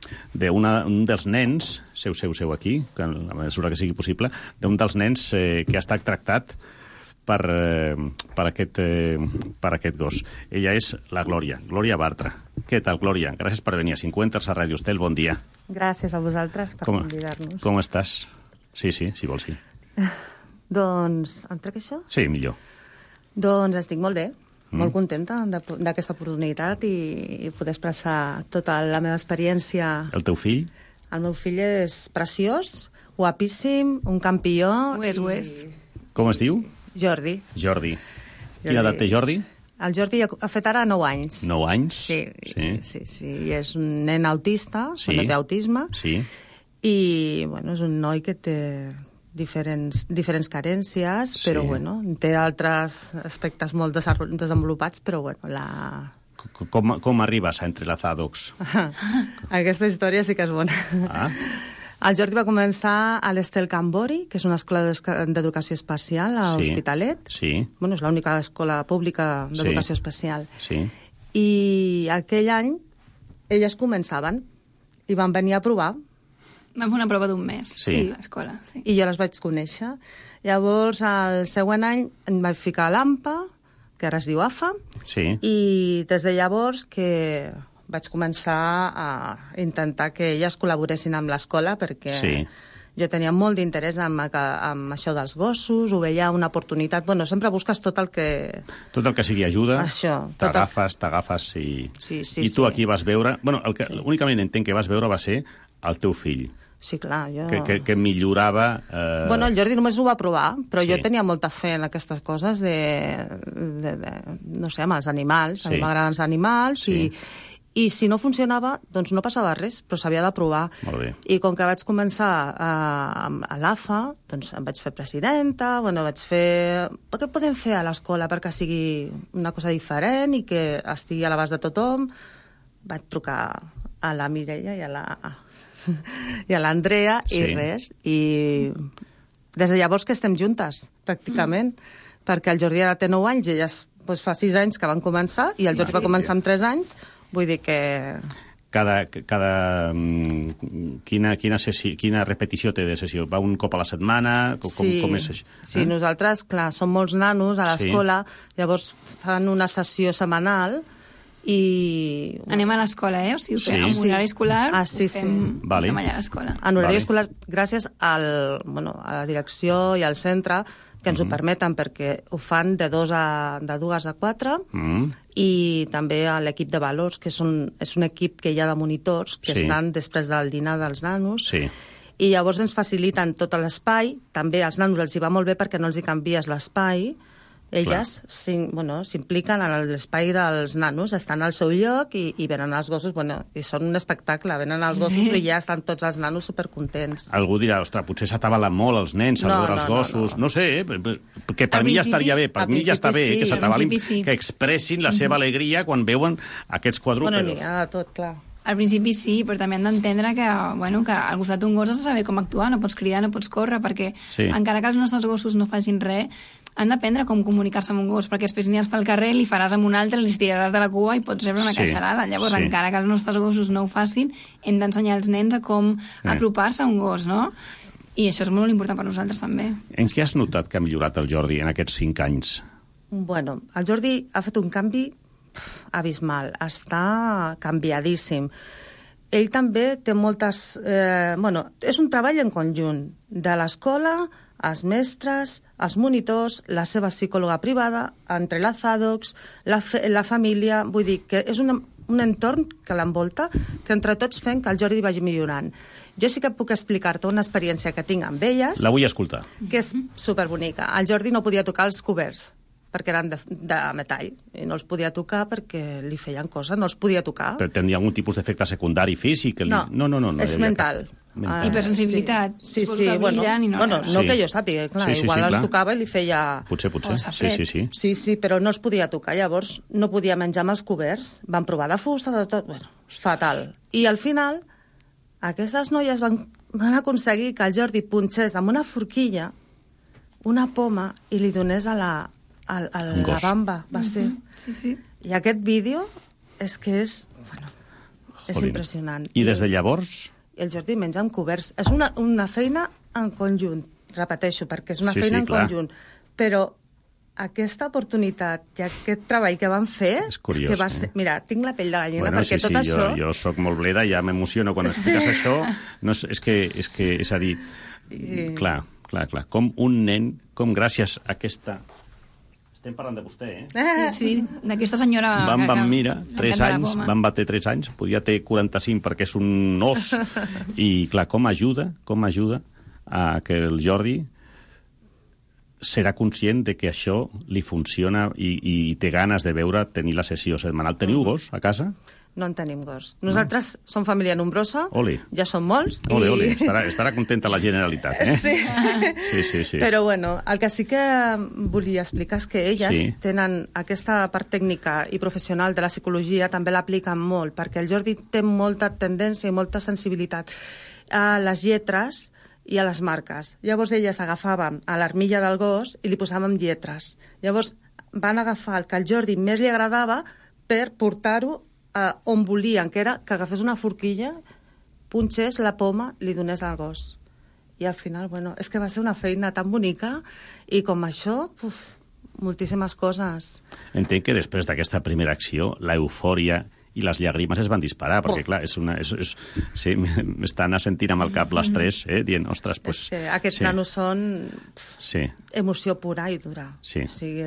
dels nens, seu aquí, que a la mesura que sigui possible, d'un dels nens que ha estat tractat per aquest gos. Ella és la Glòria Bartra. Què tal, Glòria? Gràcies per venir a 50 a Ràdio Estel. Bon dia. Gràcies a vosaltres per convidar-nos. Com estàs? Sí, si vols, sí. Doncs, em trec això? Sí, millor. Doncs estic molt bé, molt contenta d'aquesta oportunitat i poder expressar tota la meva experiència. El teu fill? El meu fill és preciós, guapíssim, un campió. Ho és. Com es diu? Jordi. Quina edat té Jordi? El Jordi ha fet ara 9 anys. 9 anys? Sí. I és un nen autista, no té autisme. Sí. I, bueno, és un noi que té diferents carències, però, bueno, té altres aspectes molt desenvolupats, però, bueno, Com arribes a Entrelazados? Aquesta història sí que és bona. El Jordi va començar a l'Estel Cambori, que és una escola d'educació especial a Hospitalet. Sí. Bueno, és l'única escola pública d'educació especial. Sí. I aquell any elles començaven i van venir a provar. Vam fer una prova d'un mes a l'escola. Sí. I jo les vaig conèixer. Llavors, el següent any em vaig ficar a l'AMPA, que ara es diu AFA, i des de llavors que vaig començar a intentar que elles col·laboressin amb l'escola, perquè jo tenia molt d'interès amb això dels gossos, ho veia una oportunitat. Bueno, sempre busques tot el que... Tot el que sigui ajuda, t'agafes i... I tu aquí vas veure... Bueno, únicament entenc que vas veure va ser el teu fill. Sí, clar, jo... Que millorava... Bueno, el Jordi només ho va provar, però jo tenia molta fe en aquestes coses no sé, amb els animals. A mi m'agraden els animals i si no funcionava, doncs no passava res, però s'havia de provar. Molt bé. I com que vaig començar a l'AFA, doncs em vaig fer presidenta, bueno, vaig fer... Què podem fer a l'escola perquè sigui una cosa diferent i que estigui a l'abast de tothom? Vaig trucar a la Mireia i a l'Andrea i res. I des de llavors que estem juntes, pràcticament, perquè el Jordi ara té 9 anys i elles fa 6 anys que van començar i el Jordi va començar amb 3 anys. Vull dir que... Quina repetició té de sessió? Va un cop a la setmana? Com és això? Sí, nosaltres, clar, som molts nanos a l'escola, llavors fan una sessió setmanal i... Anem a l'escola, O sigui, ho fem en horari escolar, ho fem allà a l'escola. En horari escolar, gràcies a la direcció i al centre, que ens ho permeten, perquè ho fan de 2 a 4, i també a l'equip de valors, que és un equip que hi ha de monitors, que estan després del dinar dels nanos, i llavors ens faciliten tot l'espai. També als nanos els hi va molt bé perquè no els hi canvies l'espai. Elles s'impliquen en l'espai dels nanos, estan al seu lloc i venen els gossos, i són un espectacle, venen els gossos i ja estan tots els nanos supercontents. Algú dirà, ostres, potser s'atabalen molt els nens al veure els gossos, no sé, que per mi ja estaria bé, per mi ja està bé que s'atabalin, que expressin la seva alegria quan veuen aquests quadrúpedos. N'hi ha de tot, clar. Al principi sí, però també han d'entendre que al costat d'un gos has de saber com actuar, no pots cridar, no pots córrer, perquè encara que els nostres gossos no facin res, han d'aprendre com comunicar-se amb un gos, perquè després aniràs pel carrer, li faràs amb un altre, li tiraràs de la cua i pots rebre una caixalada. Llavors, encara que els nostres gossos no ho facin, hem d'ensenyar als nens a com apropar-se a un gos, no? I això és molt important per nosaltres, també. En què has notat que ha millorat el Jordi en aquests 5 anys? Bueno, el Jordi ha fet un canvi abismal. Està canviadíssim. Ell també té moltes... és un treball en conjunt de l'escola, els mestres, els monitors, la seva psicòloga privada, Entrelazados, la família... Vull dir que és un entorn que l'envolta, que entre tots fem que el Jordi vagi millorant. Jo sí que puc explicar-te una experiència que tinc amb elles... La vull escoltar. Que és superbonica. El Jordi no podia tocar els coberts, perquè eren de metall, i no els podia tocar perquè li feien cosa, no els podia tocar. Però tenia algun tipus d'efecte secundari físic? No, és mental. Hipersensibilitat. Sí, bueno, no que jo sàpiga, clar, igual els tocava i li feia... Potser. Sí, però no es podia tocar, llavors no podia menjar amb els coberts, van provar de fusta, tot, bueno, fatal. I al final, aquestes noies van aconseguir que el Jordi punxés amb una forquilla una poma i li donés a la bamba, va ser. I aquest vídeo és que és impressionant. I des de llavors... El Jordi menja amb coberts. És una feina en conjunt, repeteixo, perquè és una feina en conjunt. Però aquesta oportunitat i aquest treball que van fer... És curiós, que va ser... Mira, tinc la pell de gallina, perquè tot això... Jo soc molt bleda, ja m'emociono quan expliques això. No, és a dir, clar, com un nen, com gràcies a aquesta... Estem parlant de vostè, Sí, d'aquesta senyora... Mira, 3 anys, van bater 3 anys, podia ter 45 perquè és un os, i clar, com ajuda a que el Jordi serà conscient de que això li funciona i té ganes de tenir la sessió setmanal. Teniu gos a casa? No en tenim gos. Nosaltres som família nombrosa, ja som molts. Ole. Estarà contenta la Generalitat, Sí. Sí. Però bueno, el que sí que volia explicar és que elles tenen aquesta part tècnica i professional de la psicologia, també l'apliquen molt, perquè el Jordi té molta tendència i molta sensibilitat a les lletres i a les marques. Llavors elles agafaven a l'armilla del gos i li posàvem lletres. Llavors van agafar el que al Jordi més li agradava per portar-ho on volien, que era que agafés una forquilla, punxés la poma, li donés al gos. I al final, bueno, és que va ser una feina tan bonica i com això, moltíssimes coses. Entenc que després d'aquesta primera acció, l'eufòria i les llàgrimes es van disparar, perquè, clar, sí, m'estan assentint amb el cap les tres, dient, ostres, doncs... Aquests nanos són emoció pura i dura. Sí. O sigui,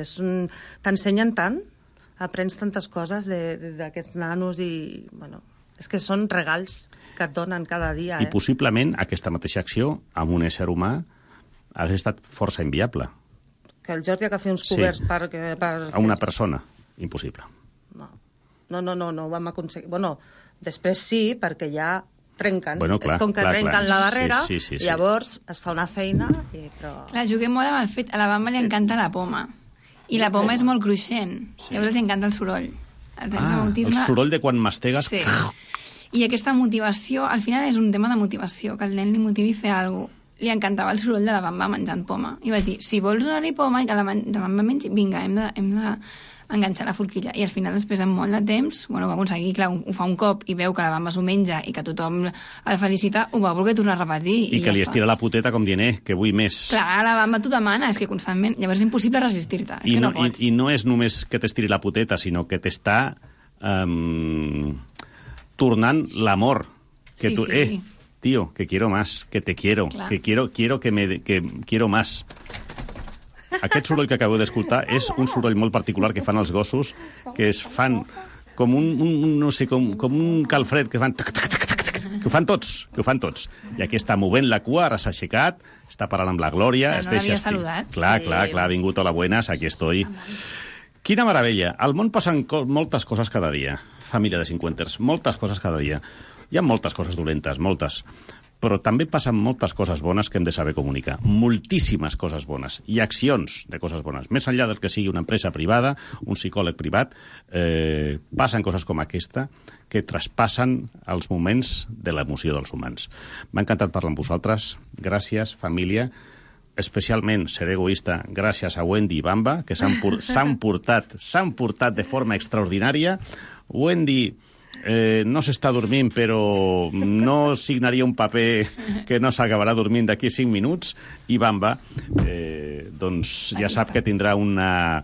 t'ensenyen tant, aprens tantes coses d'aquests nanos i, bueno, és que són regals que et donen cada dia. I possiblement aquesta mateixa acció amb un ésser humà hauria estat força inviable. Que el Jordi agafi uns coberts per... A una persona, impossible. No, vam aconseguir... Bueno, després sí, perquè ja trenquen. Bueno, clar, és com que trenquen la barrera, sí. llavors es fa una feina i... Però... Clar, juguem molt amb el fet... A la Bamba li encanta la poma. I la poma és molt cruixent. Llavors els encanta el soroll. El soroll de quan mastegues... Sí. I aquesta motivació, al final és un tema de motivació, que el nen li motivi a fer alguna cosa. Li encantava el soroll de la Bamba menjant poma. I vaig dir, si vols donar-li poma i que la Bamba mengi, vinga, hem de enganxar la forquilla. I al final, després de molt de temps, bueno, ho va aconseguir, clar, ho fa un cop i veu que la Bamba s'ho menja i que tothom el felicita, ho va voler tornar a repetir. I que li estira la puteta com dient, que vull més. Clar, la Bamba t'ho demana, és que constantment... Llavors és impossible resistir-te, és que no pots. I no és només que t'estiri la puteta, sinó que t'està tornant l'amor. Que tu, tío, que quiero más, que te quiero, clar. Que quiero que quiero más. Aquest soroll que acabeu d'escoltar és un soroll molt particular que fan els gossos, que es fan com com un calfred que fan... Que ho fan tots. I aquí està movent la cua, ara s'ha aixecat, està parlant amb la Glòria... No l'havia saludat. Clar, ha vingut, hola, buenas, aquí estoy. Quina meravella. Al món passen moltes coses cada dia, família de cinquanters, moltes coses cada dia. Hi ha moltes coses dolentes, moltes. Però també passen moltes coses bones que hem de saber comunicar. Moltíssimes coses bones. I accions de coses bones. Més enllà del que sigui una empresa privada, un psicòleg privat, passen coses com aquesta que traspassen els moments de l'emoció dels humans. M'ha encantat parlar amb vosaltres. Gràcies, família. Especialment, seré egoista, gràcies a Wendy i Bamba, que s'han portat de forma extraordinària. Wendy... no s'està dormint, però no signaria un paper que no s'acabarà dormint d'aquí 5 minuts. I Bamba, doncs ja sap que tindrà una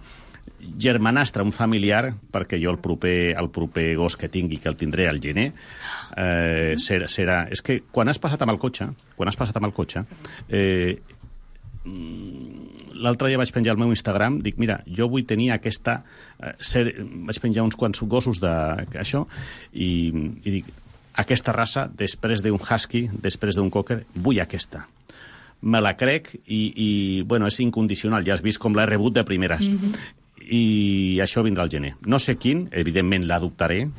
germanastra, un familiar, perquè jo el proper gos que tingui, que el tindré al gener, serà... És que quan has passat amb el cotxe, l'altre dia vaig penjar al meu Instagram, dic, mira, jo vull tenir aquesta... vaig penjar uns quants gossos d'això i dic, aquesta raça, després d'un husky, després d'un cocker, vull aquesta. Me la crec i bueno, és incondicional, ja has vist com l'he rebut de primeres. I això vindrà al gener. No sé quin, evidentment l'adoptaré,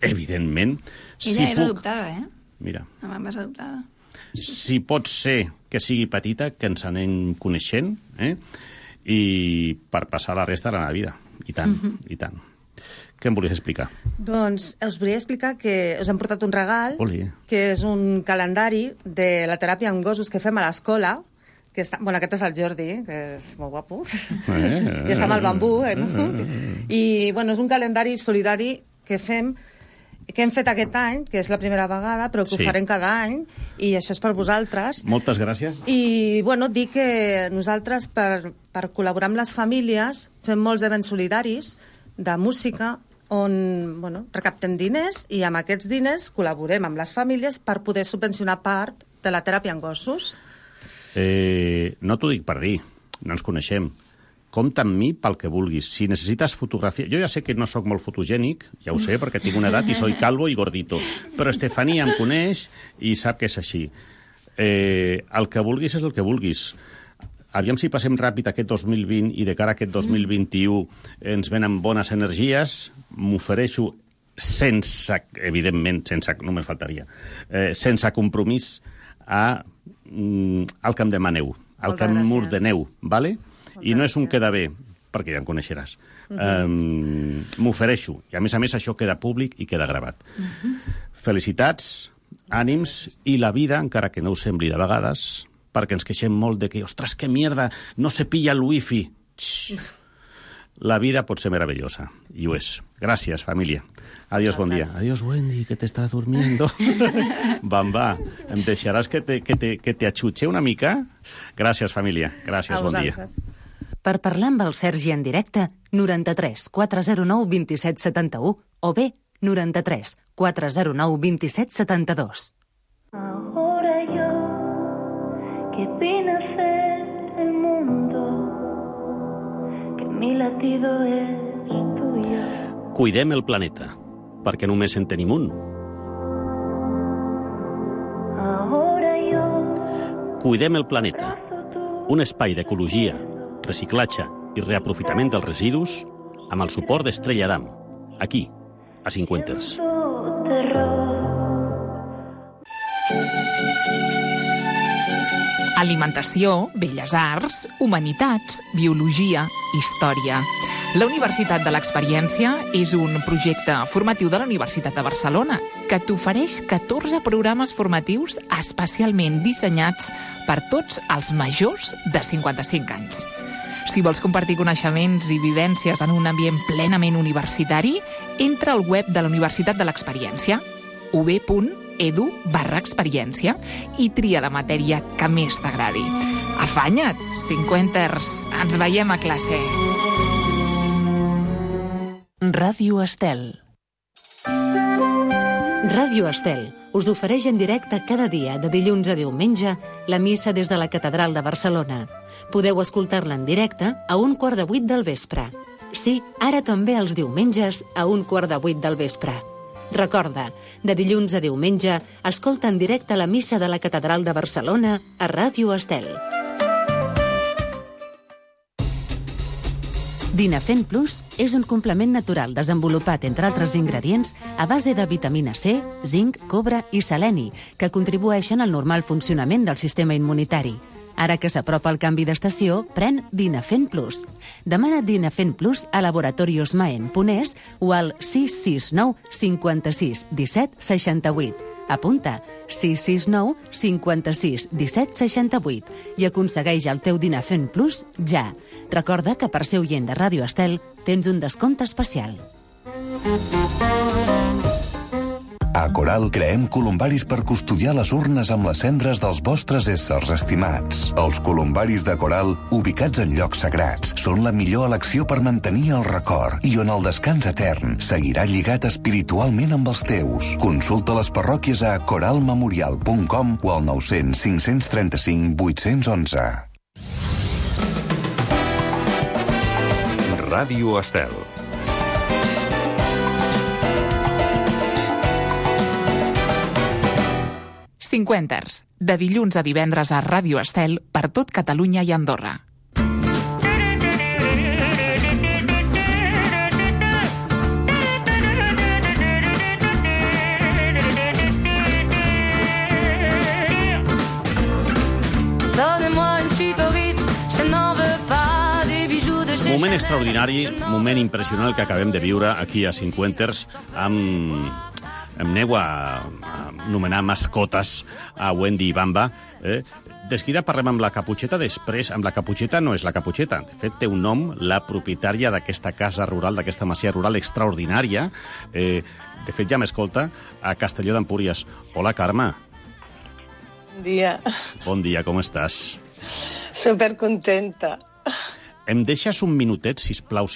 evidentment. Ella és adoptada, Mira. La mama és adoptada. Si pot ser que sigui petita, que ens anem coneixent, i per passar la resta de la vida. I tant, i tant. Què em volies explicar? Doncs us volia explicar que us hem portat un regal, que és un calendari de la teràpia amb gossos que fem a l'escola, que està... Bueno, aquest és el Jordi, que és molt guapo, i està amb el bambú, I, bueno, és un calendari solidari que hem fet aquest any, que és la primera vegada, però que ho farem cada any, i això és per vosaltres. Moltes gràcies. I, bueno, dir que nosaltres, per col·laborar amb les famílies, fem molts events solidaris de música, on, bueno, recaptem diners, i amb aquests diners col·laborem amb les famílies per poder subvencionar part de la teràpia en gossos. No t'ho dic per dir, no ens coneixem. Compta amb mi pel que vulguis. Si necessites fotografia... Jo ja sé que no sóc molt fotogènic, ja ho sé, perquè tinc una edat i soy calvo i gordito. Però Estefania em coneix i sap que és així. El que vulguis és el que vulguis. Aviam si passem ràpid aquest 2020 i de cara a aquest 2021 ens venen bones energies. M'ofereixo sense, evidentment, no me'n faltaria, sense compromís al que em demaneu, al que m'ordeneu, ¿vale? I no és un queda bé, perquè ja em coneixeràs. M'ofereixo. I a més això queda públic i queda gravat. Felicitats, ànims, i la vida, encara que no ho sembli de vegades, perquè ens queixem molt de que, ostres, que mierda, no se pilla el wifi. La vida pot ser meravellosa, i ho és. Gràcies, família. Adiós, bon dia. Adiós, Wendy, que t'estàs durmiendo. Va, em deixaràs que te achutxe una mica? Gràcies, família. Gràcies, bon dia. Per parlar amb el Sergi en directe, 93 409 27 71 o bé 93 409 27 72. Ahora yo, que vine a ser el mundo, que mi latido es tuyo. Cuidem el planeta, perquè només en tenim un. Ahora yo... Cuidem el planeta, un espai d'ecologia, reciclatge i reaprofitament dels residus amb el suport d'Estrella Damm, aquí, a Cinquenters. Alimentació, belles arts, humanitats, biologia, història. La Universitat de l'Experiència és un projecte formatiu de la Universitat de Barcelona que t'ofereix 14 programes formatius especialment dissenyats per tots els majors de 55 anys. Si vols compartir coneixements i vivències en un ambient plenament universitari, entra al web de la Universitat de l'Experiència, ub.edu/experiència, i tria la matèria que més t'agradi. Afanya't, Cinquenters, ens veiem a classe. Ràdio Estel. Ràdio Estel us ofereix en directe cada dia, de dilluns a diumenge, la missa des de la Catedral de Barcelona. Podeu escoltar-la en directe a 7:15 del vespre. Sí, ara també els diumenges a 7:15 del vespre. Recorda, de dilluns a diumenge, escolta en directe la missa de la Catedral de Barcelona a Ràdio Estel. Dinafen Plus és un complement natural desenvolupat, entre altres ingredients, a base de vitamina C, zinc, cobre i seleni, que contribueixen al normal funcionament del sistema immunitari. Ara que s'apropa el canvi d'estació, pren Dinafen Plus. Demana Dinafen Plus a Laboratorios Maen Ponés o al 669 56 17 68. Apunta 669 56 17 68 i aconsegueix el teu Dinafen Plus ja. Recorda que per ser oient de Ràdio Estel tens un descompte especial. A Coral creem columbaris per custodiar les urnes amb les cendres dels vostres éssers estimats. Els columbaris de Coral, ubicats en llocs sagrats, són la millor elecció per mantenir el record i on el descans etern seguirà lligat espiritualment amb els teus. Consulta les parròquies a coralmemorial.com o al 900 535 811. Ràdio Estel. Cinquenters, de dilluns a divendres a Ràdio Estel per tot Catalunya i Andorra. Moment extraordinari, moment impressionant que acabem de viure aquí a Cinquenters amb aneu a nomenar mascotes a Wendy i Bamba. De seguida parlem amb la Caputxeta, després amb la Caputxeta no és la Caputxeta. De fet, té un nom, la propietària d'aquesta casa rural, d'aquesta masia rural extraordinària. De fet, ja m'escolta a Castelló d'Empúries. Hola, Carme. Bon dia. Bon dia, com estàs? Supercontenta. Em deixes un minutet, sisplau?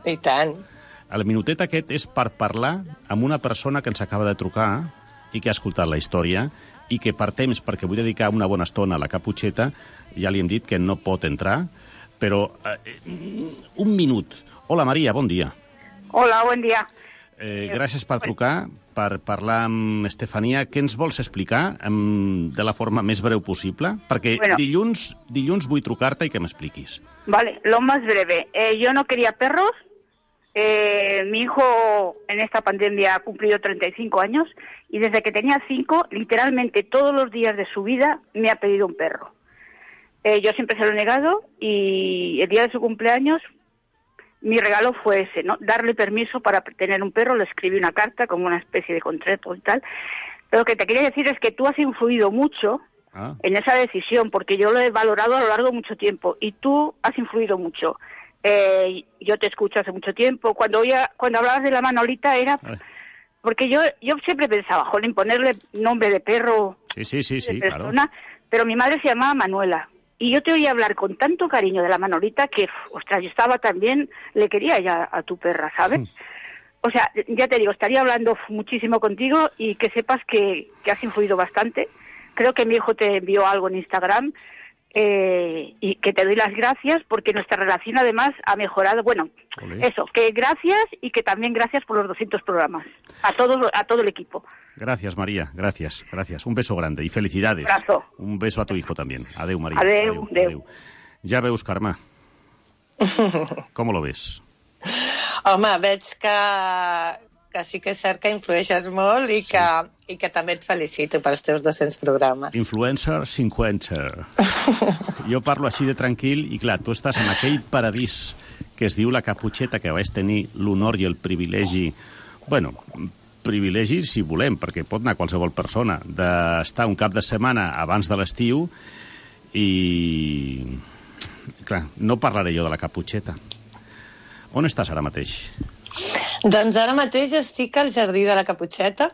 I tant. El minutet aquest és per parlar amb una persona que ens acaba de trucar i que ha escoltat la història i que per temps, perquè vull dedicar una bona estona a la Caputxeta, ja li hem dit que no pot entrar, però un minut. Hola, Maria, bon dia. Hola, bon dia. Gràcies per trucar, per parlar amb Estefania. Què ens vols explicar de la forma més breu possible? Perquè dilluns vull trucar-te i que m'expliquis. Vale, lo más breve. Yo no quería perros. Mi hijo en esta pandemia ha cumplido 35 años y desde que tenía 5, literalmente todos los días de su vida me ha pedido un perro. Yo siempre se lo he negado y el día de su cumpleaños mi regalo fue ese, ¿no? Darle permiso para tener un perro. Le escribí una carta como una especie de contrato y tal. Pero lo que te quería decir es que tú has influido mucho en esa decisión, porque yo lo he valorado a lo largo de mucho tiempo y tú has influido mucho. Yo te escucho hace mucho tiempo. Cuando hablabas de la Manolita era... Porque yo siempre pensaba, jolín, ponerle nombre de perro, sí, persona, claro. Pero mi madre se llamaba Manuela. Y yo te oía hablar con tanto cariño de la Manolita que, ostras, yo estaba también, le quería ya a tu perra, ¿sabes? O sea, ya te digo, estaría hablando muchísimo contigo y que sepas que has influido bastante. Creo que mi hijo te envió algo en Instagram y que te doy las gracias porque nuestra relación además ha mejorado. Bueno, eso, que gracias y que también gracias por los 200 programas. A todo el equipo. Gracias, María, gracias. Un beso grande y felicidades. Un abrazo. Un beso a tu hijo también. Adeu, María. Adeu. Ja veus, Carme. Com lo ves? Home, veig que sí que és cert que influeixes molt i que també et felicito pels teus 200 programes. Influencer 50. Jo parlo així de tranquil i, clar, tu estàs en aquell paradís que es diu la Caputxeta, que vaig tenir l'honor i el privilegi... Bueno, privilegi si volem, perquè pot anar qualsevol persona, d'estar un cap de setmana abans de l'estiu i... Clar, no parlaré jo de la Caputxeta. On estàs ara mateix? Doncs ara mateix estic al Jardí de la Caputxeta.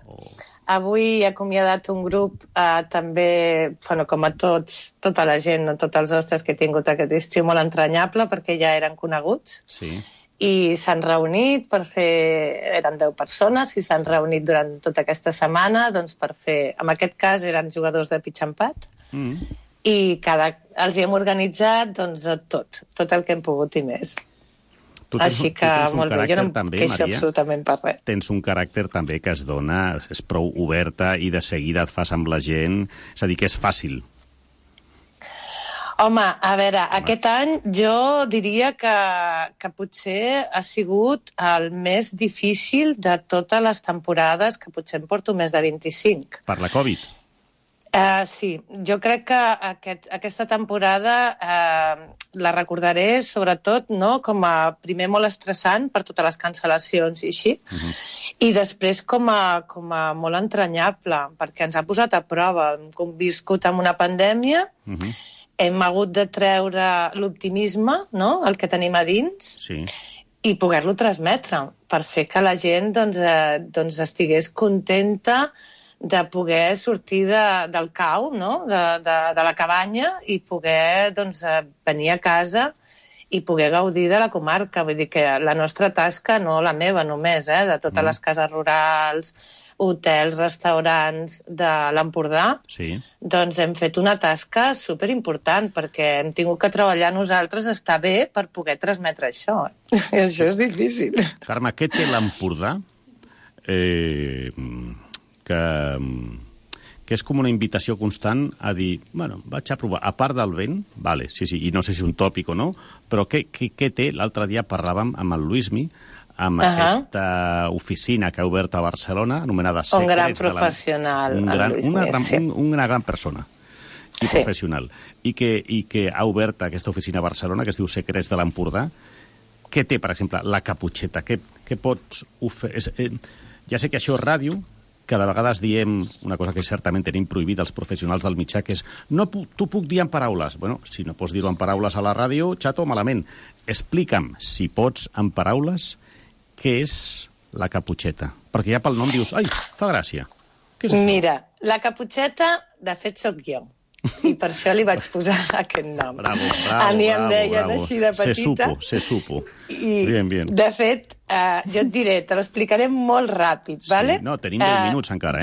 Avui he acomiadat un grup també, bueno, com a tota la gent, tots els hostes que he tingut aquest estiu, molt entranyable, perquè ja eren coneguts. Sí. I s'han reunit per fer... Eren 10 persones i s'han reunit durant tota aquesta setmana doncs, per fer... En aquest cas eren jugadors de pitch and pat i els hi hem organitzat doncs, tot el que hem pogut i més. Així que molt bé, jo no em queixo absolutament per res. Tens un caràcter també que es dona, és prou oberta i de seguida et fas amb la gent, és a dir, que és fàcil. Home, a veure, aquest any jo diria que potser ha sigut el més difícil de totes les temporades, que potser em porto més de 25. Per la Covid? Sí, jo crec que aquesta temporada la recordaré sobretot com a primer molt estressant per totes les cancel·lacions i així, i després com a molt entranyable, perquè ens ha posat a prova. Hem viscut amb una pandèmia, hem hagut de treure l'optimisme, el que tenim a dins, i poder-lo transmetre, per fer que la gent doncs estigués contenta de poder sortir del cau, de la cabanya i poder venir a casa i poder gaudir de la comarca. Vull dir que la nostra tasca, no la meva només, de totes les cases rurals, hotels, restaurants de l'Empordà, doncs hem fet una tasca superimportant perquè hem tingut que treballar nosaltres estar bé per poder transmetre això. I això és difícil. Carme, què té l'Empordà que és com una invitació constant a dir, bueno, vaig a provar, a part del vent, vale, sí, i no sé si és un tòpic o no, però què té? L'altre dia parlàvem amb el Luismi, amb aquesta oficina que ha obert a Barcelona, anomenada Secrets. Un gran professional, una gran persona i professional, i que ha obert aquesta oficina a Barcelona, que es diu Secrets de l'Empordà. Què té, per exemple, la Caputxeta? Què pots oferir? Ja sé que això és ràdio, que de vegades diem una cosa que certament tenim prohibit als professionals del mitjà, que és t'ho puc dir en paraules. Bueno, si no pots dir-ho en paraules a la ràdio, xato, malament. Explica'm, si pots, en paraules, què és la Caputxeta. Perquè ja pel nom dius, ai, fa gràcia. Què és això? Mira, la Caputxeta, de fet, sóc jo. I per això li vaig posar aquest nom. Bravo. A mi em deien així de petita. Se supo. Bien. De fet, jo et diré, te l'explicaré molt ràpid, vale? No, tenim 10 minuts encara,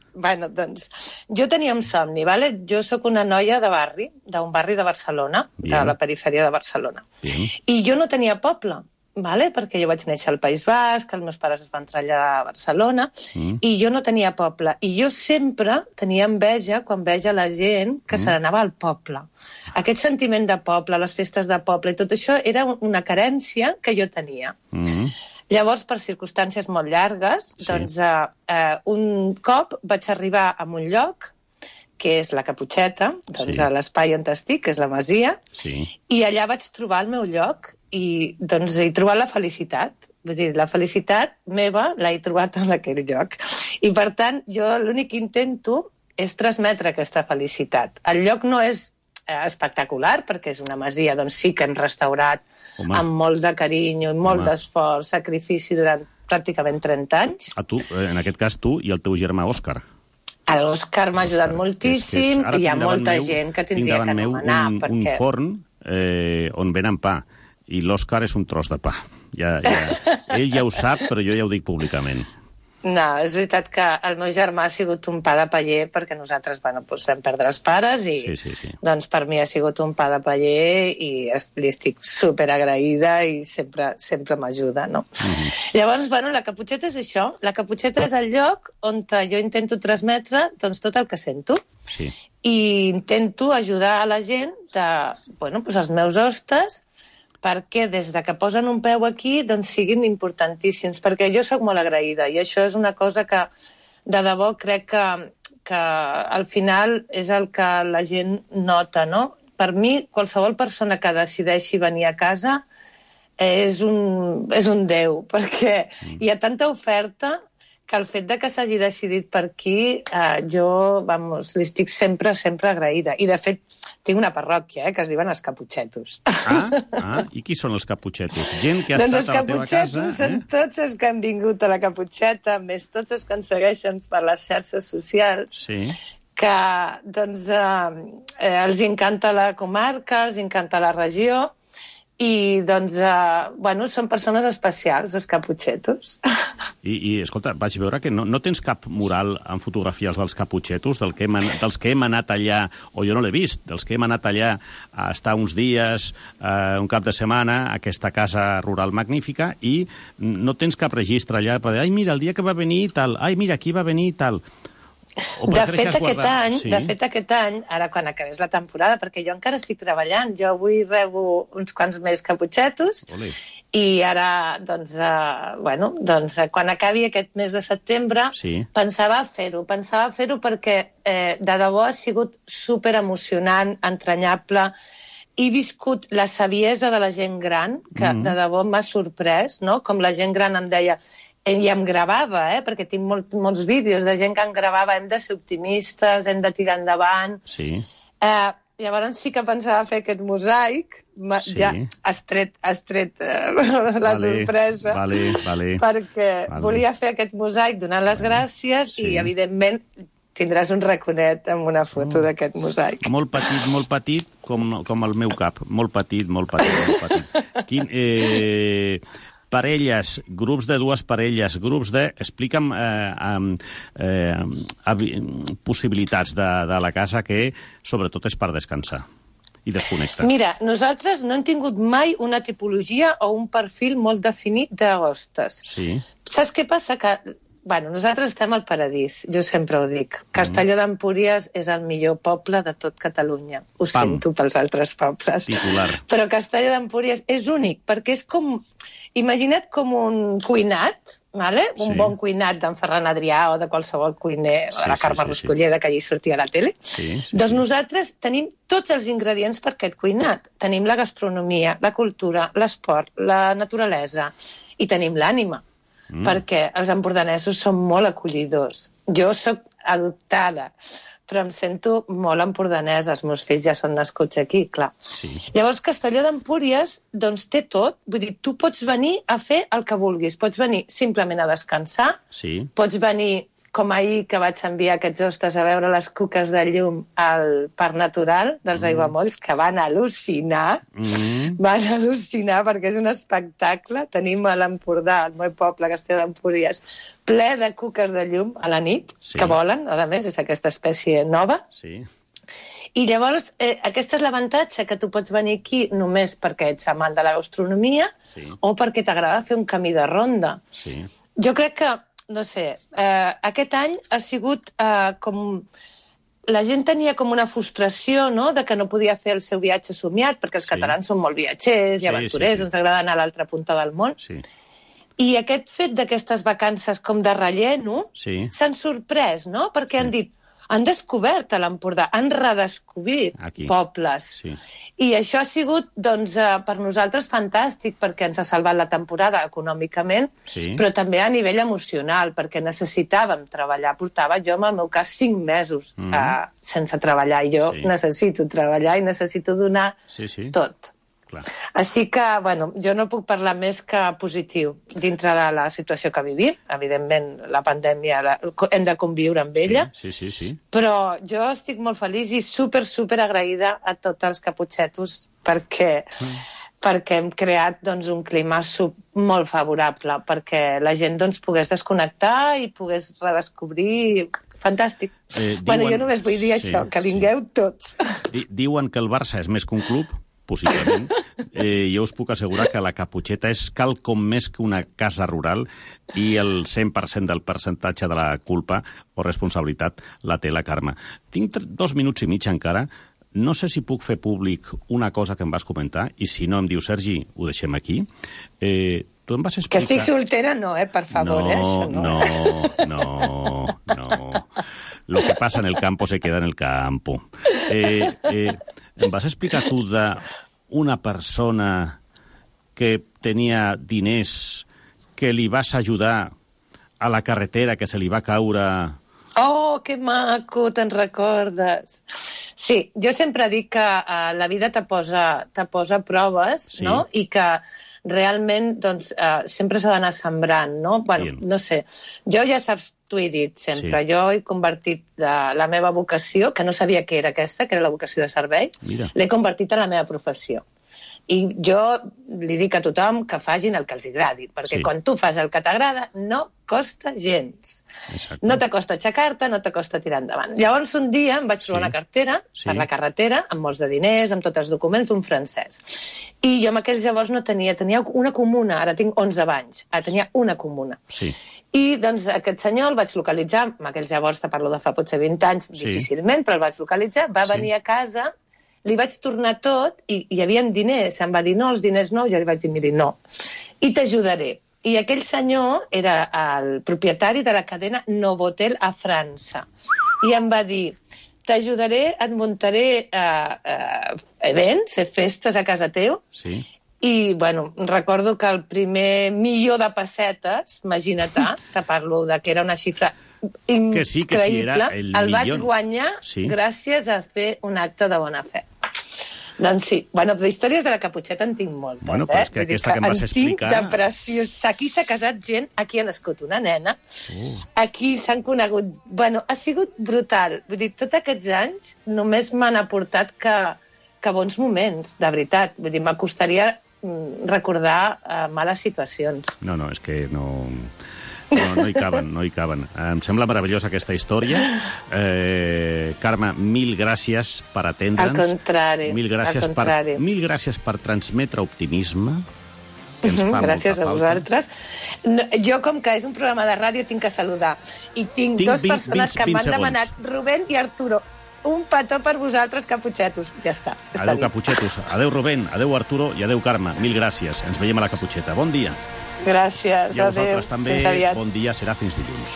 Doncs, jo tenia un somni, vale? Jo sóc una noia de barri, d'un barri de Barcelona, de la perifèria de Barcelona. I jo no tenia poble, vale? Perquè jo vaig néixer al País Basc, els meus pares es van traslladar a Barcelona, i jo no tenia poble. I jo sempre tenia enveja quan veia la gent que se n'anava al poble. Aquest sentiment de poble, les festes de poble, i tot això era una carència que jo tenia. Llavors, per circumstàncies molt llargues, doncs un cop vaig arribar a un lloc que és la Caputxeta, doncs a l'espai on estic, que és la Masia, i allà vaig trobar el meu lloc i doncs he trobat la felicitat. Vull dir, la felicitat meva l'he trobat en aquell lloc. I per tant, jo l'únic que intento és transmetre aquesta felicitat. El lloc no és espectacular, perquè és una masia, doncs sí que hem restaurat amb molt de carinyo i molt d'esforç, sacrifici durant pràcticament 30 anys. A tu, en aquest cas tu i el teu germà Òscar. L'Òscar m'ha ajudat moltíssim i hi ha molta gent que tindria que anomenar. Un forn on venen pa i l'Òscar és un tros de pa. Ell ja ho sap, però jo ja ho dic públicament. No, és veritat que el meu germà ha sigut un pa de paller perquè nosaltres vam perdre els pares i doncs per mi ha sigut un pa de paller i li estic superagraïda i sempre m'ajuda, no? Llavors, la Caputxeta és això. La Caputxeta és el lloc on jo intento transmetre doncs, tot el que sento i intento ajudar a la gent els meus hostes perquè des de que posen un peu aquí doncs siguin importantíssims, perquè jo sóc molt agraïda i això és una cosa que de debò crec que al final és el que la gent nota, no? Per mi, qualsevol persona que decideixi venir a casa és un déu, perquè hi ha tanta oferta que el fet de que s'hagi decidit per aquí, jo, li estic sempre agraïda. I, de fet, tinc una parròquia, que es diuen els Caputxetos. I qui són els Caputxetos? Gent que ha estat a la teva casa? Doncs els Caputxetos són tots els que han vingut a la Caputxeta, més tots els que ens segueixen per les xarxes socials, que doncs, els encanta la comarca, els encanta la regió, i, doncs, són persones especials, els Caputxetos. I escolta, vaig veure que no tens cap mural en fotografies dels Caputxetos, dels que hem anat allà, o jo no l'he vist, dels que hem anat allà a estar uns dies, un cap de setmana, a aquesta casa rural magnífica, i no tens cap registre allà per dir, ai, mira, el dia que va venir tal, ai, mira, aquí va venir tal... De fet, aquest any, ara quan acabés la temporada, perquè jo encara estic treballant, jo avui rebo uns quants més Caputxetos i ara, doncs, quan acabi aquest mes de setembre, pensava fer-ho perquè de debò ha sigut superemocionant, entranyable. He viscut la saviesa de la gent gran, que de debò m'ha sorprès, no? Com la gent gran em deia... I em gravava, perquè tinc molts vídeos de gent que em gravava, hem de ser optimistes, hem de tirar endavant. Llavors sí que pensava fer aquest mosaic, ja has tret la sorpresa, perquè volia fer aquest mosaic donant les gràcies i, evidentment, tindràs un raconet amb una foto d'aquest mosaic. Molt petit, com el meu cap. Molt petit. parelles, grups de dues parelles, grups de... Explica'm possibilitats de la casa que, sobretot, és per descansar i desconnectar. Mira, nosaltres no hem tingut mai una tipologia o un perfil molt definit de hostes. Sí. Saps què passa? Que, bueno, nosaltres estem al paradís, jo sempre ho dic. Castelló d'Empúries és el millor poble de tot Catalunya. Ho sento pels altres pobles. Titular. Però Castelló d'Empúries és únic, perquè és com... Imagina't com un cuinat, vale? Un bon cuinat d'en Ferran Adrià o de qualsevol cuiner, de la Carme Ruscolleda, que allí sortia a la tele. Doncs nosaltres tenim tots els ingredients per aquest cuinat. Tenim la gastronomia, la cultura, l'esport, la naturalesa i tenim l'ànima. Perquè els empordanesos són molt acollidors. Jo sóc adoptada, però em sento molt empordanesa. Els meus fills ja són nascuts aquí, clar. Llavors, Castelló d'Empúries doncs, té tot. Vull dir, tu pots venir a fer el que vulguis. Pots venir simplement a descansar, pots venir, com ahir que vaig enviar aquests hostes a veure les cuques de llum al Parc Natural dels Aiguamolls, que van al·lucinar. Van al·lucinar perquè és un espectacle. Tenim a l'Empordà, el meu poble, Castelló d'Empúries, ple de cuques de llum a la nit, que volen, a més, és aquesta espècie nova. I llavors, aquest és l'avantatge, que tu pots venir aquí només perquè ets amant de la gastronomia o perquè t'agrada fer un camí de ronda. Jo crec que no sé, aquest any ha sigut com... La gent tenia com una frustració, no?, de que no podia fer el seu viatge somiat, perquè els catalans són molt viatgers i aventurers, ens agrada anar a l'altra punta del món. I aquest fet d'aquestes vacances com de relleno s'han sorprès, no?, perquè han dit, han descobert a l'Empordà, han redescobert pobles. I això ha sigut, doncs, per nosaltres fantàstic, perquè ens ha salvat la temporada econòmicament, però també a nivell emocional, perquè necessitàvem treballar. Portava jo, en el meu cas, 5 mesos sense treballar. I jo necessito treballar i necessito donar tot. Així que, bueno, jo no puc parlar més que positiu dintre de la situació que vivim. Evidentment, la pandèmia hem de conviure amb ella, però jo estic molt feliç i super agraïda a tots els caputxetos perquè hem creat doncs, un clima molt favorable, perquè la gent doncs, pogués desconnectar i pogués redescobrir... Fantàstic. Bueno, jo només vull dir això, que vingueu tots. Diuen que el Barça és més que un club, possiblement. Jo us puc assegurar que la Caputxeta és quelcom més que una casa rural i el 100% del percentatge de la culpa o responsabilitat la té la Carme. Tinc 2 minuts i mig encara. No sé si puc fer públic una cosa que em vas comentar i si no em diu, Sergi, ho deixem aquí. Tu em vas explicar... Que estic soltera no, per favor, això no. No. Lo que pasa en el campo se queda en el campo. Em vas explicar tu d'una persona que tenia diners que li vas ajudar a la carretera que se li va caure... Oh, que maco, te'n recordes. Sí, jo sempre dic que la vida te posa proves, no? I que realment doncs, sempre s'ha d'anar sembrant, no? Bueno, no sé, jo ja saps, t'ho he dit sempre, jo he convertit la meva vocació, que no sabia que era aquesta, que era la vocació de servei, l'he convertit en la meva professió. I jo li dic a tothom que facin el que els agradi, perquè quan tu fas el que t'agrada no costa gens. No t'acosta aixecar-te, no t'acosta tirar endavant. Llavors un dia em vaig trobar una cartera per la carretera, amb molts de diners, amb tots els documents d'un francès. I jo en aquells llavors no tenia una comuna, ara tinc 11 anys, ara tenia una comuna. I doncs aquest senyor el vaig localitzar, en aquells llavors te parlo de fa potser 20 anys, difícilment, però el vaig localitzar, va venir a casa... Li vaig tornar tot i hi havia diners. Em va dir, no, els diners no. Jo li vaig dir, miri, no. I t'ajudaré. I aquell senyor era el propietari de la cadena Novotel a França. I em va dir, t'ajudaré, et muntaré events, festes a casa teu. I, bueno, recordo que el primer milió de pessetes, imagina't, te parlo de que era una xifra increïble, el vaig guanyar gràcies a fer un acte de bona fe. Doncs sí, bueno, d'històries de la Caputxeta en tinc moltes, bueno, però és que aquesta que em vas explicar... En tinc de preciós. Aquí s'ha casat gent, aquí ha nascut una nena, aquí s'han conegut... Bueno, ha sigut brutal. Vull dir, tots aquests anys només m'han aportat que bons moments, de veritat. Vull dir, m'acostaria recordar males situacions. No, és que no hi caben. Em sembla meravellosa aquesta història. Carme, mil gràcies per atendre'ns. Al contrari. Mil gràcies per transmetre optimisme. Gràcies a vosaltres. Jo, com que és un programa de ràdio, tinc que saludar. I tinc dues persones que m'han demanat, Rubén i Arturo, un petó per vosaltres, caputxetos. Ja està. Adéu, caputxetos. Adéu, Rubén. Adéu, Arturo. I adéu, Carme. Mil gràcies. Ens veiem a la caputxeta. Bon dia. Gràcies. I a vosaltres també. Bon dia. Serà fins dilluns.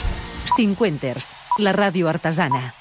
50ers, la ràdio artesana.